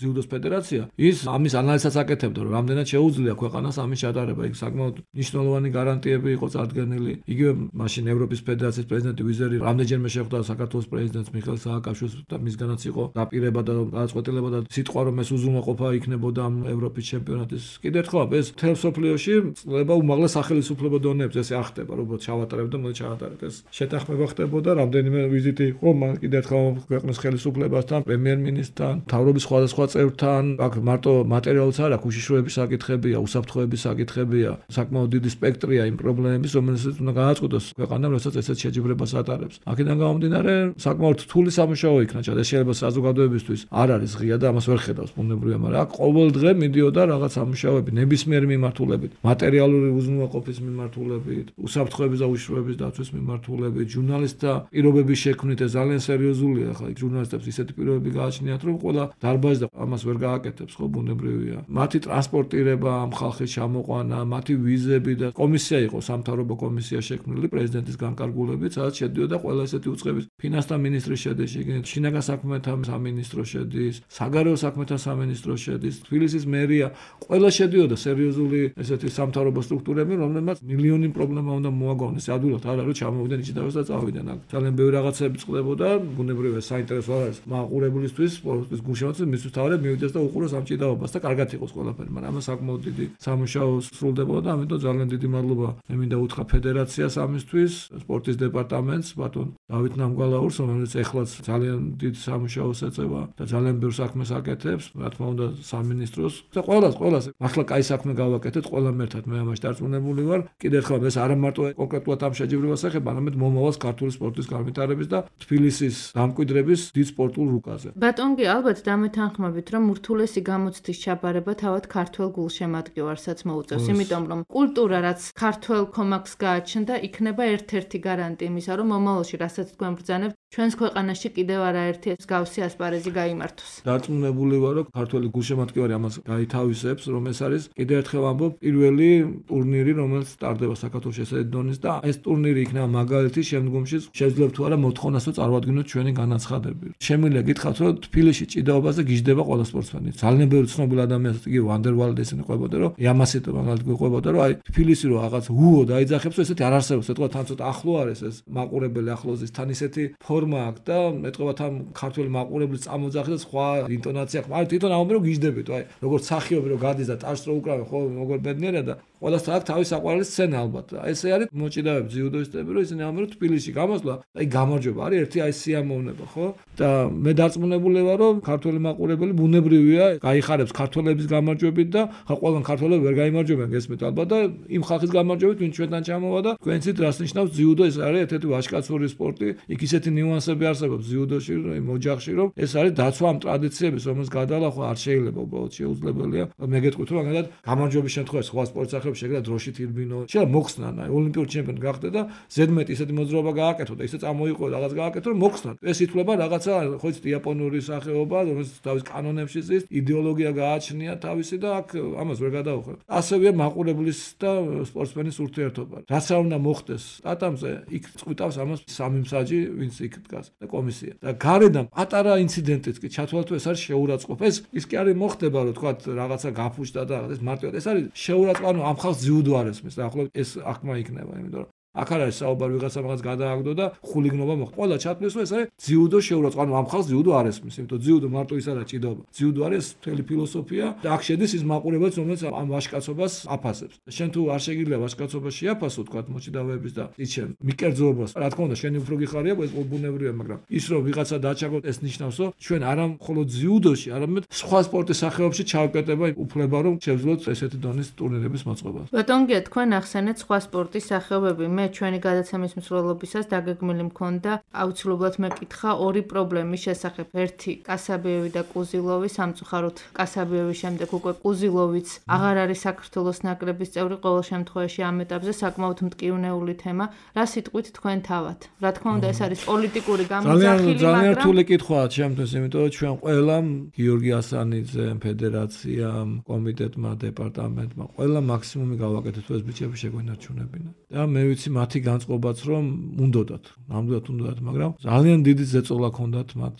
[SPEAKER 3] ძიუდოს ფედერაცია, ის ამის ანალიზსაც აკეთებდა, რომ რამდენად შეუძლია ქვეყანას ამის ჩატარება, იქ საკმაოდ მნიშვნელოვანი გარანტიები იყო წარდგენილი. იგივე მაშინ ევროპის ფედერაციის პრეზიდენტი ვიზერი რამდენჯერმე შეხვდა საქართველოს პრეზიდენტს მიხეილ სააკაშვილს და მისგანაც იყო დაპირება და გადაწყვეტილება და სიტყვა რომ ეს უზრუნველყოფა იქნებოდა ამ ევროპის ჩემპიონატის. კიდე ერთხელ ეს მთელ სოფლიოში წლება უმაღლეს სახელმწიფო დონეებს ეს არ ხდება, რომ ჩავატარებ და მოდი ჩავატარებ. ეს შეთანხმება ხდებოდა, რამდენიმე ვიზიტი იყო, მან კიდე ერთხელ ქვეყნის ხელისუფლებასთან, პრემიერ-მინისტრთან, მთავრობის სხვადასხვა წევრთან, აქ მარტო მატერიალიც არ აქვს, უშიშროების საკითხებია, უსაფრთხოების საკითხებია, საკმაოდ დიდი სპექტრია იმ პრობლემების, რომელსაც უნდა გააწყვეტოს ქვეყანამ, როდესაც ესეთ შეჯიბრებას ატარებს. აქედან გამომდინარე, საკმაოდ რთული სამუშაო იქნა ჩადა. ეს შეიძლება საზოგადოებისთვის არ არის ღია და ამას ვერ ხედავს ბუნებრივია, მაგრამ აქ ყოველ დღე მიდიოდა რაღაც სამუშაოები ნებისმიერი მიმართულებით, მატერიალური უზრუნველყოფის მიმართულებით, უსაფრთხოების და უშიშროების დაცვის მიმართულებით, ჟურნალისტთა პირობების შექმნით, ეს ძალიან სერიოზულია. ხა ჟურნალისტებს ისეთი პირობები გააჩნიათ, რომ ყველა დარბაზი და ამას ვერ გააკეთებს, ხო ბუნებრივია. მათი ტრანსპორტირება, ამ ხალხის ჩამოყვანა, მათი ვიზები და კომისია იყო სამთავრობო კომისია შექმნილი პრეზიდენტის განკარგულებით, სადაც შედიოდა ყველა ესეთი უწყების ფინანსთა მინისტრი შედის, შიგნით შინაგან საქმეთა სამინისტრო შედის, საგარეო საქმეთა სამინისტრო შედის, თბილისის მერია, ყველა შედიოდა სერიოზული ესეთი სამთავრობო სტრუქტურები, რომლებმაც მილიონი პრობლემა უნდა მოაგვავნეს. ადვილად არ არის რომ ჩამოვიდნენ იჭიდავეს და წავიდნენ. აქ ძალიან ბევრი რაღაცები წყდებოდა, ბუნებრივია საინტერესო არ არის მაყურებლისთვის, სპორტის გულშემატკივრებს, მისთვის თავად მივიდეს და უყუროს ამ ჭიდაობას და კარგად იყოს ყველაფერი, მაგრამ ამას საკმაოდ დიდი სამუშაო სრულდებოდა და ამიტომ ძალიან დიდი მადლობა მე მინდა უთხრა ფედერაციას ამისთვის, სპორტის დეპარტამენტს, ბატონ დავით ნამგალაურს, რომელიც ეხლაც ძალიან დიდ სამუშაოს ეწევა და ძალიან ბევრ საქმეს აკეთებს, რა თქმა უნდა სამინისტროს და ყველას, ყველას. ახლა კაი საქმე გავაკეთეთ ყველამ ერთად, მე ამაში დარწმუნებული ვარ. კიდევ ერთხელ ეს არა მარტო კონკრეტულად ამ შეჯიბრებას ეხება, არამედ მომავალს ქართული სპორტის განვითარების და თბილისის დამკვიდრების დიდ სპორტულ რუკაზე.
[SPEAKER 2] ბატონ გი, ალბათ დამეთანხმებით, რომ ურთულესი გამოცდის ჩაბარება თავად ქართულ გულშემატკივარსაც მოუწევს, იმიტომ რომ კულტურა რაც ქართულ კომაქს გააჩნდა, იქნება ერთ-ერთი გარანტი იმისა, რომ მომავალში რასაც თქვენ ბრძანებთ, ჩვენს ქვეყანაში კიდევ არაერთი მსგავსი ასპარეზი გაიმართოს.
[SPEAKER 3] დარწმუნებული ვარ, რომ ქართული გულშემატკივარი ამას გაითავისებს, რომ ეს არის კიდევ ერთხელ ამბობ პირველი ტურნირი, რომელიც სტარდება საქართველოს ესეთი დონის და ეს ტურნირი იქნება მაგალითი შემდგომში შეძლებ თუ არა მოთხოვნას რომ წარვადგინოთ ჩვენი განაცხადები. შემიძლია გითხრათ, რომ თბილისში ჭიდაობაზე გიждდება ყველა სპორტსმენი. ძალიან ბევრი ცნობილი ადამიანს იგი ვანდერვალდ ესენი ყვებოდა, რომ იამასიტო მაგალითად გვიყვებოდა, რომ აი თბილისი რომ რაღაც უო დაიძახებს, ესეთი არ არსებობს, ეთქვა თან ცოტა ახლო არის ეს მაყურებელი ახლოზის, თან ისეთი ფორმა აქვს და ეთქვა თან ქართული მაყურებლის წამოძახი და სხვა ინტონაცია აქვს. აი თვითონ ამბობ რომ გიждდებით, აი როგორც სახიობი რომ გადის და ტაშს რო უკრავენ, ხო როგორ ბედნიერია და ყველას აქვს თავის საყვარელი სცენა ალბათ. აი ესე არის მოჭიდავები ძიუდოისტები, რომ ისინი ამბობენ რომ თბილისში გამოსვლა, აი გამარჯვება არის ერთი აი სიამოვნება, ხო? და მე დარწმუნებული ვარ, რომ ქართული მაყურებელი ბუნებრივია, გაიხარებს ქართველების გამარჯვებით და ხა ყველგან ქართველები ვერ გაიმარჯვებიან გესმით ალბათ და იმ ხალხის გამარჯვებით, ვინც ჩვენთან ჩამოვა და თქვენც რას ნიშნავს ძიუდო, ეს არის ერთ-ერთი ვაჟკაცური სპორტი, იქ ისეთი ნიუანსები არსებობს ძიუდოში, რომ მოჯახში, რომ ეს არის დაცვა ამ ტრადიციების, რომელსაც გადალახვა არ შეიძლება, უბრალოდ შეუძლებელია. მე გეტყვით, რომ მაგალითად გამარჯვების შემთხვევაში სხვა სპორტ სახეებში შეიძლება დროშით ირბინო, შეიძლება მოხსნან, აი ოლიმპიური ჩემპიონი გახდა და ზედმეტ ისეთი მოძრაობა გააკეთო და ისე წამოიყო რაღაც გააკეთო, რომ მოხსნან. ეს ითვლება რაღაცა, ხო იცით, იაპონური სახეობა, რომელიც თავის კანონებში ზის, იდეოლოგია გააჩნია თავისი და აქ ამას ვერ გადაუხებ. ასევეა მაყურებლის და სპორტსმენის ურთიერთობა. რაც არ უნდა მოხდეს სტატამზე, იქ წყვიტავს ამას სამი მსაჯი, ვინც იქ დგას და კომისია. და გარედან პატარა ინციდენტიც კი ჩათვალოთ, ეს არის შეურაცხყოფა. ეს ის კი არის მოხდება, რომ თქვა რაღაცა გაფუჭდა და ეს მარტივად ეს არის შეურაცხყოფა, ანუ ამ ხალხს ძიუდო არ ესმის და ახლობ ეს აღქმა იქნება, იმიტომ რომ აქ არ არის საუბარი ვიღაცა მაგას გადააგდო და ხულიგნობა მოხდა. ყველა ჩათვლის რომ ეს არის ძიუდო შეურაცხყოფა. ანუ ამ ხალხს ძიუდო არ ესმის, იმიტომ ძიუდო მარტო ის არა ჭიდაობა. ძიუდო არის მთელი ფილოსოფია და აქ შედის ის მაყურებელიც, რომელიც ამ ვაჟკაცობას აფასებს. შენ თუ არ შეგიძლია ვაჟკაცობას შეაფასო, თქვა მოჭიდავეების და ის შენ მიკერძოებას. რა თქმა უნდა, შენი უფრო გიხარია, ეს ბუნებრივია, მაგრამ ის რომ ვიღაცა დააჩაგოთ ეს ნიშნავს, რომ ჩვენ არა მხოლოდ ძიუდოში, არამედ სხვა სპორტის სახეობებში ჩავკეტება უფლება, რომ შევძლოთ ესეთი დონის ტურნირების მოწყობა.
[SPEAKER 2] ბატონგია, თქვენ ახსენეთ სხვა სპორტის სახეობები. მე ჩვენი გადაცემის მსვლელობისას დაგეგმილი მქონდა აუცილებლად მეკითხა ორი პრობლემის შესახებ. ერთი კასაბიევი და კუზილოვი, სამწუხაროდ კასაბიევის შემდეგ უკვე კუზილოვიც აღარ არის საქართველოს ნაკრების წევრი. ყოველ შემთხვევაში ამ ეტაპზე საკმაოდ მტკივნეული თემა. რა სიტყვით თქვენ თავად? რა თქმა უნდა, ეს არის პოლიტიკური გამოძახილი,
[SPEAKER 3] მაგრამ ძალიან რთული კითხვაა ჩემთვის, იმიტომ რომ ჩვენ ყველამ გიორგი ასანიძე, ფედერაციამ, კომიტეტმა, დეპარტამენტმა ყველა მაქსიმუმი გავაკეთეთ, ეს ბიჭები შეგვენარჩუნებინა. და მე ვიცი მათი განწყობაც რომ უნდათ, ნამდვილად უნდათ, მაგრამ ძალიან დიდი ზეწოლა ჰქონდათ მათ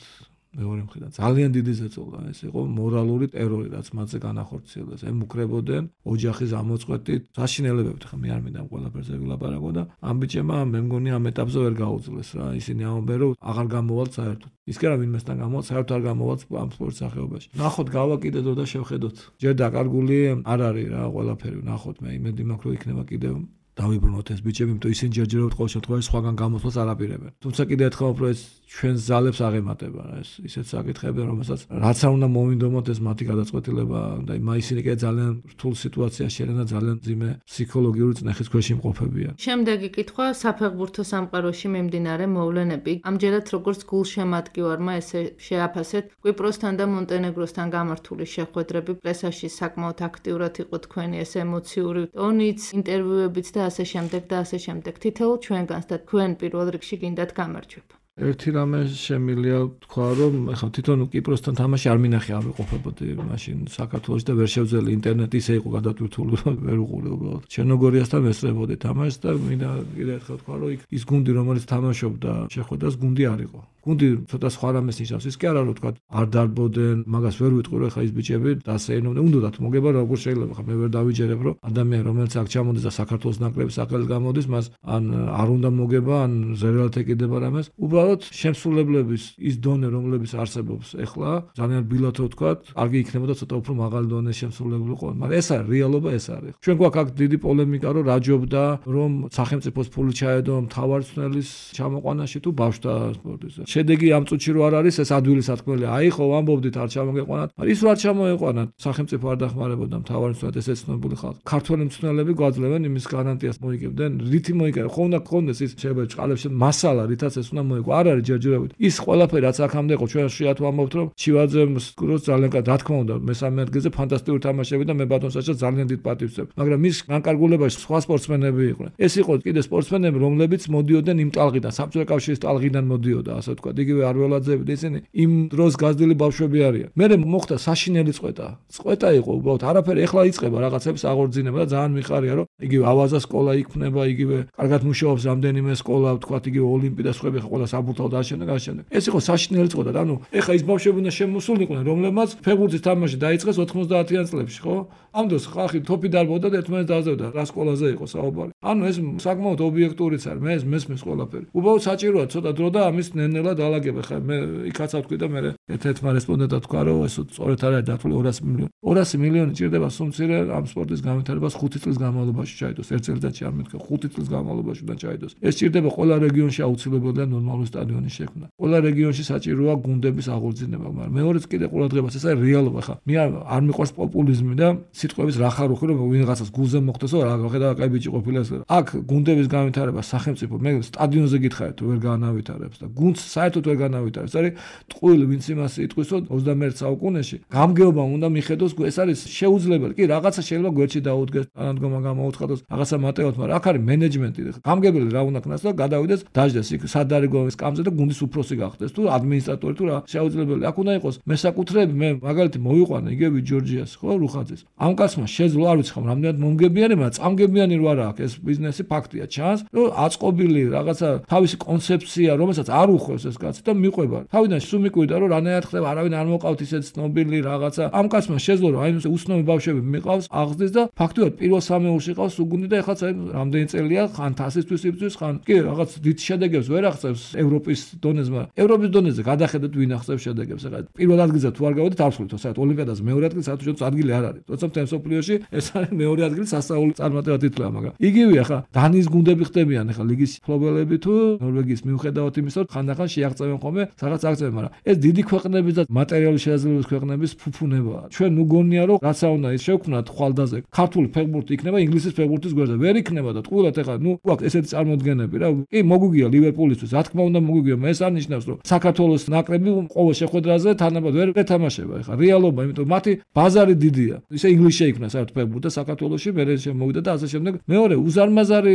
[SPEAKER 3] მეორე მხრიდან. ძალიან დიდი ზეწოლა, ეს იყო მორალური ტერორი, რაც მათზე განახორციელეს. ემუქრებოდნენ ოჯახის ამოწყვეტით, საშინელებებით, ხა მე არ მინდა ყველაფერზე ვილაპარაკო და ამ ბიჭებმა მე მგონი ამ ეტაპზე ვერ გაუძლეს რა. ისინი ამბობენ რომ აღარ გამოვალთ საერთოდ. ის კი არა ვინმესთან გამოვალთ, საერთოდ არ გამოვალთ ამ სპორტ სახეობაში. ნახოთ გავა კიდე დრო და შევხედოთ. ჯერ დაკარგული არ არის რა ყველაფერი, ნახოთ მე იმედი მაქვს რომ იქნება კიდევ დავიბრუნოთ ეს ბიჭები, იმიტომ ისინი ჯერჯერობით ყოველ შემთხვევაში სხვაგან გამოსვლას არ აპირებენ. თუმცა კიდე ერთხელ უფრო ეს ჩვენს ძალებს აღემატება რა, ეს ისეთ საკითხები, რომელსაც რაც არ უნდა მოვინდომოთ ეს მათი გადაწყვეტილება და ისინი კიდე ძალიან რთულ სიტუაციაში არიან და ძალიან ძიმე ფსიქოლოგიური წნეხის ქვეშ იმყოფებიან.
[SPEAKER 2] შემდეგი კითხვა საფეხბურთო სამყაროში მიმდინარე მოვლენები. ამჯერად როგორც გულშემატკივარმა ესე შეაფასეთ კვიპროსთან და მონტენეგროსთან გამართული შეხვედრები, პრესაში საკმაოდ აქტიურად იყო თქვენი ეს ემოციური ტონიც, ინტერვიუებიც და ასე შემდეგ და ასე შემდეგ. თითოეულ ჩვენგანს და თქვენ პირველ რიგში გინდათ გამარჯვება.
[SPEAKER 3] ერთი რამე შემილია თქვა რომ ეხლა თვითონ კიპროსთან თამაში არ მინახე ავიყოფებოდი მაშინ საქართველოში და ვერ შევძელი ინტერნეტი ისე იყო გადატვირთული რომ ვერ უყურე უბრალოდ ჩერნოგორიასთან ვესწრებოდი თამაშს და მინდა კიდე ერთხელ თქვა რომ იქ ის გუნდი რომელიც თამაშობდა შეხვედრას გუნდი არ იყო გუნდი ცოტა სხვა რამეს ნიშნავს ის კი არა რომ თქვა არ დარბოდნენ მაგას ვერ ვიტყვი რომ ეხლა ის ბიჭები დასეირნობდნენ უნდათ მოგება როგორ შეიძლება ხა მე ვერ დავიჯერებ რომ ადამიანი რომელიც აქ ჩამოდის და საქართველოს ნაკრების სახელით გამოდის მას ან არ უნდა მოგება ან ზერალთ ეკიდება რამეს უბრალოდ შემსრულებლების ის დონე რომლებიც არსებობს ეხლა ძალიან ბილათ რო თქვა კარგი იქნებოდა ცოტა უფრო მაღალი დონეს შემსრულებლები ყო მაგრამ ეს არის რეალობა ეს არის ჩვენ გვაქვს აქ დიდი პოლემიკა რომ რაჯობდა რომ სახელმწიფოს ფული ჩაედო მთავარწნელის ჩამოყვანაში თუ ბავშვთა სპორტის შედეგი ამ წუთში რო არ არის ეს ადვილი სათქმელია აი ხო ამბობდით არ ჩამოგეყვანათ ის რო არ ჩამოეყვანათ სახელმწიფო არ დახმარებოდა მთავარწნელად ესე ცნობილი ხალხი ქართველი მწვრთნელები გვაძლევენ იმის გარანტიას მოიგებდნენ რითი მოიგებენ ხო უნდა გქონდეს ის შეიძლება წყალებში მასალა რითაც ეს უნდა მოიგო არ არის ჯერჯერობით ის ყველაფერი რაც აქამდე იყო ჩვენ შეათ ვამბობთ რომ ჩივაძემ სკროს ძალიან კარგი რა თქმა უნდა მესამე ადგილზე ფანტასტიკური თამაშები და მე ბატონსაჩა ძალიან დიდ პატივს ვცემ მაგრამ მის განკარგულებაში სხვა სპორტსმენები იყვნენ ეს იყო კიდე სპორტსმენები რომლებიც მოდიოდნენ იმ ტალღიდან საბჭოთა კავშირის ტალღიდან მოდიოდა ასე თქვა იგივე არველაძეები და ისინი იმ დროს გაზრდილი ბავშვები არიან მე მოხდა საშინელი წყვეტა წყვეტა იყო უბრალოდ არაფერი ეხლა იწყება რაღაცების აღორძინება და ძალიან მიხარია რომ იგივე ავაზა სკოლა იქნება იგივე კარგად მუშაობს რამდენიმე სკოლა თქვა იგივე ოლიმპი და სხვები ხო ყველა საბურთალო და შემდეგ შემდეგ ეს იყო საშინელი წყვეტა და ანუ ეხლა ის ბავშვები უნდა შემოსულიყვნენ რომლებმაც ფეხბურთის თამაში დაიწყეს ოთხმოცდაათიან წლებში ხო ამ დროს ხალხი თოფი დარბოდა და ერთმანეთს დააზევდა რა სკოლაზე იყო საუბარი ანუ ეს საკმაოდ ობიექტურიც არის მე ეს მესმის ყველაფერი უბრალოდ საჭიროა ცოტა დრო და ამის ნენელა დაალაგება ხა მე იქაც ავთქვი და მე ერთ-ერთმა რესპონდენტად თქვა რომ ეს სწორედ არის დათვლი ორასი მილიონი ორასი მილიონი ჭირდება სუმცირე ამ სპორტის განვითარებას ხუთი წლის განმავლობაში ჩაიდოს ერთ წელიწადში არ მეთქე ხუთი წლის განმავლობაში უნდა ჩაიდოს ეს ჭირდება ყველა რეგიონში აუცილებელია ნორმალური სტადიონის შექმნა ყველა რეგიონში საჭიროა გუნდების აღორძინება მაგრამ მეორეც კიდე ყურადღებას ეს არის რეალობა ხა მე არ მიყვარს პოპულიზმი და სიტყვების რახარუხი რომ ვინღაცას გულზე მოხდესო რა ხედავ კაი ბიჭი ყოფილა ეს აქ გუნდების განვითარება სახელმწიფო მე სტადიონზე გითხარით ვერ განავითარებს და გუნდს საერთოდ ვერ განავითარებს არის ტყუილი ვინც იმას იტყვის რომ ოცდამეერთე საუკუნეში გამგეობა უნდა მიხედოს ეს არის შეუძლებელი კი რაღაცა შეიძლება გვერდში დაუდგეს თანადგომა გამოუცხადოს რაღაცა მატეოთ მაგრამ აქ არის მენეჯმენტი გამგებელი რა უნდა ქნას და გადავიდეს დაждდეს იქ სადარეგოვის კამზე და გუნდის უფროსი გახდეს თუ ადმინისტრატორი თუ რა შეუძლებელი აქ უნდა იყოს მესაკუთრეები მე მაგალითი მოვიყვანე იგივე ჯორჯიას ხო რუხაძეს ამ ამ კაცმა შეძლო არ ვიცი ხომ რამდენად მომგებიანი, მაგრამ წამგებიანი რო არა აქვს ეს ბიზნესი ფაქტია ჩანს, რომ აწყობილი რაღაცა თავისი კონცეფცია, რომელსაც არ უხვევს ეს კაცი და მიყვება. თავიდან სულ მიკვირდა რომ რანაირად ხდება, არავინ არ მოყავთ ისეთ ცნობილი რაღაცა. ამ კაცმა შეძლო რომ აი ეს უცნობი ბავშვები მიყავს აღზრდის და ფაქტობრივად პირველ სამეურში ყავს უგუნდი და ეხლა რამდენი წელია ხან თასისთვის იბრძვის, ხან კი რაღაც დიდ შედეგებს ვერ აღწევს ევროპის დონეზე, მაგრამ ევროპის დონეზე გადახედოთ ვინ აღწევს შედეგებს. ეხლა პირველ ადგილზე თუ არ გავედით არცხოვით, საერთოდ ოლიმპიადაზე მეორე ადგილი საერთოდ ადგილი არ არის. როცა მთელ მსოფლიოში ეს არის მეორე ადგილი სასწაული წარმატება თითქოს, მაგრამ იგივე ახლა დანიის გუნდები ხდებიან ახლა ლიგის ფლობელები თუ ნორვეგიის მიუხედავად იმისა, რომ ხანდახან შეაღწევენ ხოლმე რაღაც აღწევენ, მაგრამ ეს დიდი ქვეყნების და მატერიალური შესაძლებლობის ქვეყნების ფუფუნებაა. ჩვენ ნუ გონია რომ რაცა უნდა ის შევქმნათ ხვალდაზე ქართული ფეხბურთი იქნება ინგლისის ფეხბურთის გვერდზე, ვერ იქნება და ტყუილად ახლა ნუ გვაქვს ესეთი წარმოდგენები რა. კი მოგვიგია ლივერპულისთვის, რა თქმა უნდა მოგვიგია, ეს არ ნიშნავს რომ საქართველოს ნაკრები ყოველ შეხვედრაზე თანაბად ვერ ეთამაშება. ახლა რეალობა, იმიტომ მათი ბაზარი დიდია. ისე ინგლისში შეიქმნა საერთოდ ფეხბურთი და საქართველოში მერე შემოვიდა და ასე შემდეგ. მეორე უზარმაზარი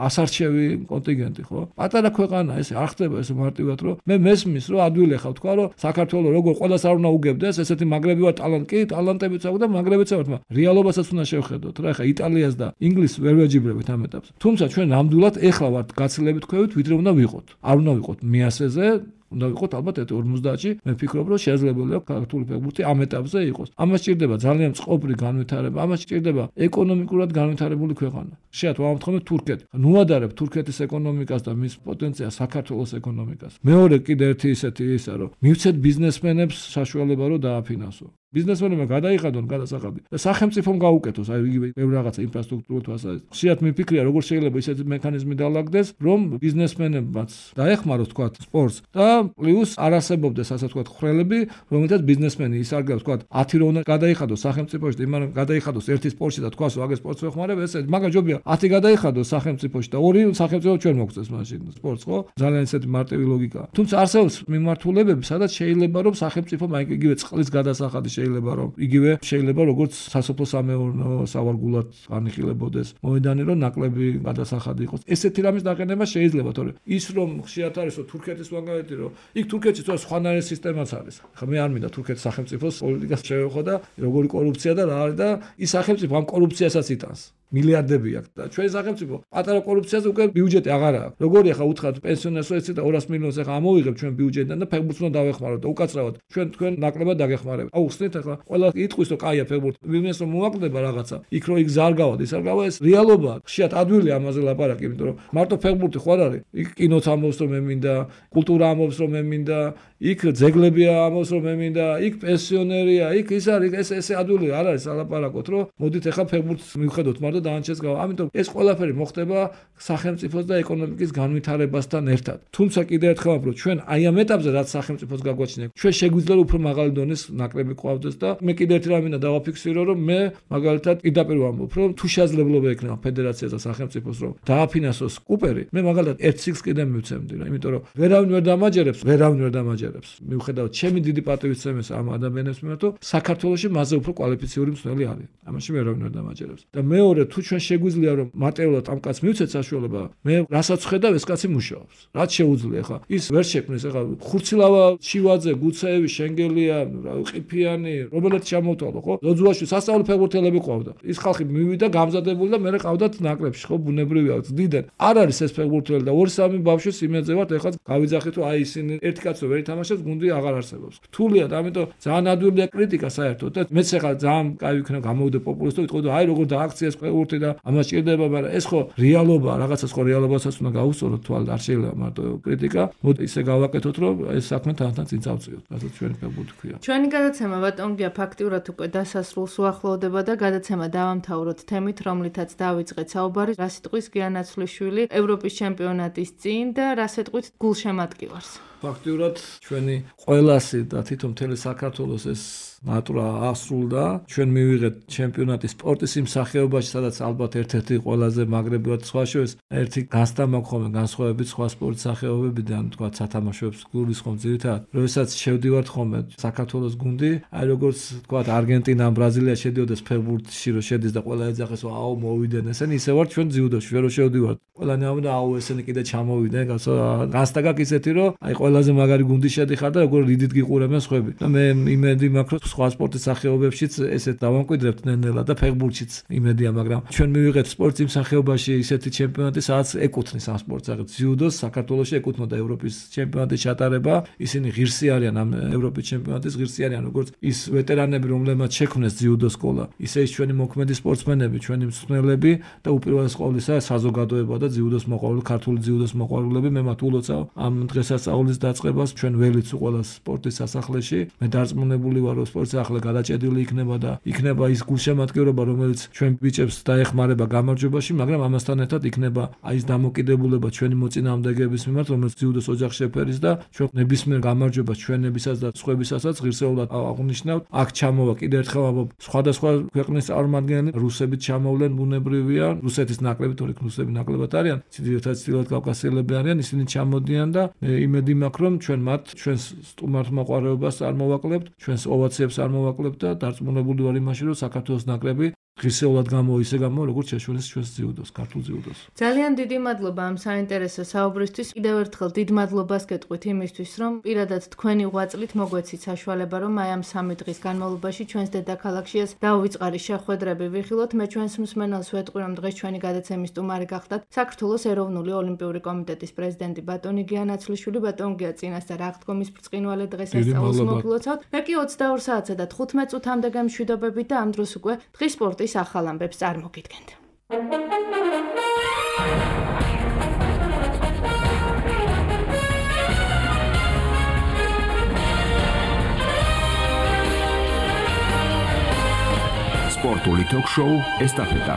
[SPEAKER 3] ასარჩევი კონტინგენტი ხო? პატარა ქვეყანა ეს არ ხდება ეს მარტივად რომ მე მესმის რომ ადვილი ხავ თქვა რომ საქართველოს როგორ ყველას არ უნდა უგებდეს ესეთი მაგრები ვარ ტალანტი, კი ტალანტებიც აქვს და მაგრებიც აქვს, მაგრამ რეალობასაც უნდა შევხედოთ რა. ახლა იტალიას და ინგლისს ვერ ვეჯიბრებით ამ ეტაპზე. თუმცა ჩვენ ნამდვილად ეხლა ვართ გაცილებით ქვევით ვიდრე უნდა ვიყოთ. არ უნდა ვიყოთ მიასეზე უნდა ვიყოთ ალბათ ორმოცდაათში. მე ვფიქრობ რომ შესაძლებელია ქართული ფეხბურთი ამ ეტაპზე იყოს. ამას სჭირდება ძალიან წყობრი განვითარება, ამას სჭირდება ეკონომიკურად განვითარებული ქვეყანა. შეათ ვამოთხოვნეთ თურქეთი. ნუადარებ თურქეთის ეკონომიკას და მის პოტენციალს საქართველოს ეკონომიკას. მეორე კიდე ერთი ისეთი ისა რომ მივცეთ ბიზნესმენებს საშუალება რომ დააფინანსო. ბიზნესმენებმა გადაიხადონ გადასახადი და სახელმწიფომ გაუკეთოს აი იგივე რაღაცა ინფრასტრუქტურულ თვალსაზრისით. ხშირად მიფიქრია როგორ შეიძლება ისეთი მექანიზმი დალაგდეს, რომ ბიზნესმენებმაც დაეხმაროს თქვა სპორტს და პლუს არ არსებობდეს ასე თქვა ხრელები, რომელთაც ბიზნესმენი ისარგებლოს თქვა ათი რო უნდა გადაიხადოს სახელმწიფოში და იმან გადაიხადოს ერთი სპორტში და თქვას ვაგე სპორტს ვეხმარებ, ესე მაგა ჯობია ათი გადაიხადოს სახელმწიფოში და ორი სახელმწიფო ჩვენ მოგწეს მაშინ სპორტს ხო? ძალიან ისეთი მარტივი ლოგიკაა. თუმცა არსებობს მიმართულებები, სადაც შეიძლება რომ სახელმწიფო მაინც იგივე წყლის გადასახადი შეიძლება რომ იგივე შეიძლება როგორც სასოფლო სამეურნეო სავარგულად განიხილებოდეს მოედანი რომ ნაკლები გადასახადი იყოს. ესეთი რამის დაყენება შეიძლება, თორე ის რომ ხშირად არის რომ თურქეთის მაგალითი რომ იქ თურქეთში თორე სხვანაირი სისტემაც არის. ხა მე არ მინდა თურქეთის სახელმწიფოს პოლიტიკას შევეხო და როგორი კორუფცია და რა არის და ის სახელმწიფო ამ კორუფციასაც იტანს. მილიარდები აქვს და ჩვენ სახელმწიფო პატარა კორუფციაზე უკვე ბიუჯეტი აღარ აქვს. როგორი ახლა უთხრათ პენსიონერს ეცი და ორას მილიონს ახლა ამოვიღებ ჩვენ ბიუჯეტიდან და ფეხბურთს უნდა დავეხმაროთ და უკაცრავად ჩვენ თქვენ ნაკლებად დაგეხმარებით. აუ ხსნით ახლა ყველა იტყვის რომ კაია ფეხბურთი ვინმეს რომ მოაკლდება რაღაცა იქ რო იქ ზარგავად ის არ გავა ეს რეალობაა. ხშირად ადვილი ამაზე ლაპარაკი, იმიტომ რომ მარტო ფეხბურთი ხო არ არის. იქ კინოც ამბობს რომ მე მინდა, კულტურა ამბობს რომ მე მინდა, იქ ძეგლები ამბობს რომ მე მინდა, იქ პენსიონერია, იქ ის არის ეს ესე ადვილი არ არის ალაპარაკოთ რომ მოდით ახლა ფეხბურთს მივხედოთ მარტო დაანჩეს გავა. ამიტომ ეს ყველაფერი მოხდება სახელმწიფოს და ეკონომიკის განვითარებასთან ერთად. თუმცა კიდევ ერთხელ ვამბობ, ჩვენ აი ამ ეტაპზე რაც სახელმწიფოს გაგვაჩნია, ჩვენ შეგვიძლია უფრო მაღალი დონის ნაკრები ყავდეს და მე კიდევ ერთი რამე დავაფიქსირო, რომ მე მაგალითად პირდაპირ ვამბობ, რომ თუ შესაძლებლობა ექნება ფედერაციას და სახელმწიფოს რომ დააფინანსოს კუპერი, მე მაგალითად ერთ სიგს კიდე მივცემდი რა, იმიტომ რომ ვერავინ ვერ დამაჯერებს, ვერავინ ვერ დამაჯერებს. მიუხედავად ჩემი დიდი პატივისცემის ამ ადამიანებს მიმართ, საქართველოში მასზე უფრო კვალიფიციური მსვლელი არის. ამაში ვერავინ ვერ დამაჯერებს. და მეორე თუ ჩვენ შეგვიძლია რომ მატერიალურად ამ კაცს მივცეთ საშუალება, მე რასაც ხედავ ეს კაცი მუშაობს. რაც შეუძლია ხა. ის ვერ შექმნის ხა ხურცილავა შივაძე, გუცეევი, შენგელია, ყიფიანი, რომელიც ჩამოვთვალო ხო? ლოძუაში სასწავლო ფეხბურთელები ყავდა. ის ხალხი მივიდა გამზადებული და მე ყავდათ ნაკლებში ხო ბუნებრივია. ძდიდან არ არის ეს ფეხბურთელი და ორი სამი ბავშვი სიმეძე ვართ ეხლა გავიძახით რომ აი ისინი ერთი კაცო ვერ ითამაშებს, გუნდი აღარ არსებობს. რთულია და ამიტომ ძალიან ადვილია კრიტიკა საერთოდ და მეც ეხლა ძალიან კაი ვიქნა გამოვიდე პოპულისტო ვიტყოდი რომ აი როგორ დააქციეს ფეხბურთი და ამას ჭირდება, მაგრამ ეს ხო რეალობაა, რაღაცას ხო რეალობასაც უნდა გავუსწოროთ თვალ, არ შეიძლება მარტო კრიტიკა. მოდი ისე გავაკეთოთ რომ ეს საქმე თან-თან წინ წავწიოთ, რასაც ჩვენი ფეხბურთი ქვია.
[SPEAKER 2] ჩვენი გადაცემა ბატონგია ფაქტიურად უკვე დასასრულს უახლოვდება და გადაცემა დავამთავროთ თემით, რომლითაც დავიწყეთ საუბარი რა სიტყვის გიანაცვლიშვილი ევროპის ჩემპიონატის წინ და რა სიტყვით გულშემატკივარს.
[SPEAKER 3] ფაქტიურად ჩვენი ყველასი და თვითონ მთელი საქართველოს ეს ნატურა ასრულდა. ჩვენ მივიღეთ ჩემპიონატის სპორტის იმ სახეობაში, სადაც ალბათ ერთ-ერთი ყველაზე მაგრები ვართ სხვა შორის. ერთი განსდა მაქვს ხოლმე განსხვავებით სხვა სპორტის სახეობებიდან, თქვა სათამაშოებს გულის ხომ ძირითადად. როდესაც შევდივართ ხოლმე საქართველოს გუნდი, აი როგორც თქვა არგენტინა ან ბრაზილია შედიოდეს ფეხბურთში, რომ შედის და ყველა ეძახეს, აუ მოვიდნენ ესენი, ისე ვართ ჩვენ ძიუდოში, ვერ შევდივართ. ყველანი ამბობდა, აუ ესენი კიდე ჩამოვიდნენ, განსდა გაქვს ისეთი, რომ აი ყველაზე მაგარი გუნდი შედიხარ და როგორ რიდით გიყურებენ სხვები. და მე იმედი მაქვს, რომ სხვა სპორტის სახეობებშიც ესეთ დავამკვიდრებთ ნენელა და ფეხბურთშიც იმედია, მაგრამ ჩვენ მივიღეთ სპორტის იმ სახეობაში ისეთი ჩემპიონატი, სადაც ეკუთვნის ამ სპორტს, რაღაც ძიუდოს საქართველოში ეკუთვნოდა ევროპის ჩემპიონატის ჩატარება. ისინი ღირსი არიან ამ ევროპის ჩემპიონატის, ღირსი არიან როგორც ის ვეტერანები, რომლებმაც შექმნეს ძიუდოს სკოლა, ისე ის ჩვენი მოქმედი სპორტსმენები, ჩვენი მსმენელები და უპირველეს ყოვლისა საზოგადოება და ძიუდოს მოყვარული, ქართული ძიუდოს მოყვარულები. მე მათ ულოცავ ამ დღესასწაულის დაწყებას ჩვენ ველით ყველა სპორტის სასახლეში. მე დარწმუნებული ვარ, რომ სპორტის სახle გადაჭედილი იქნება და იქნება ის გულშემატკივრობა, რომელიც ჩვენ ბიჭებს დაეხმარება გამარჯვებაში, მაგრამ ამასთან ერთად იქნება აი ეს დამოკიდებულება ჩვენი მოწინააღმდეგეების მიმართ, რომელიც ძიუდოს ოჯახს შეფერის და ჩვენ ნებისმიერ გამარჯვებას ჩვენებისაც და სხვებისასაც ღირსეულად აღნიშნავთ. აქ ჩამოვა კიდევ ერთხელ ამბობ, სხვადასხვა ქვეყნის წარმომადგენლები, რუსებით ჩამოვლენ ბუნებრივია, რუსეთის ნაკლები, თორემ რუსები ნაკლებად არიან, ძირითადად ჩრდილოეთ კავკასიელები არიან, ისინი ჩამოდიან და იმედი მაქვს, რომ ჩვენ მათ ჩვენს სტუმართ მოყვარეობას წარმოვაკლებთ, ჩვენს ოვაციებს წარმოვაკლებთ და დარწმუნებული ვარ იმაში, რომ საქართველოს ნაკრები ღირსეულად გამო ისე გამო როგორც შეშველეს ჩვენს ძიუდოს, ქართულ ძიუდოს.
[SPEAKER 2] ძალიან დიდი მადლობა ამ საინტერესო საუბრისთვის. კიდევ ერთხელ დიდ მადლობას გეტყვით იმისთვის, რომ პირადად თქვენი ღვაწლით მოგვეცით საშუალება, რომ აი ამ სამი დღის განმავლობაში ჩვენს დედაქალაქშიას დაუვიწყარი შეხვედრები ვიხილოთ. მე ჩვენს მსმენელს ვეტყვი, რომ დღეს ჩვენი გადაცემის სტუმარი გახდათ საქართველოს ეროვნული ოლიმპიური კომიტეტის პრეზიდენტი ბატონი გია ნაცვლიშვილი. ბატონ გია, წინასწარ აღდგომის ბრწყინვალე დღესასწაულს მოგლოცავთ. მე კი ოცდაორ საათსა და თხუთმეტ წუთამდე გემშვიდობებით და ამ დროს უკვე დღის სპორტის ახალ ამბებს წარმოგიდგენთ.
[SPEAKER 1] სპორტული ток-შოუ ესტაფეტა.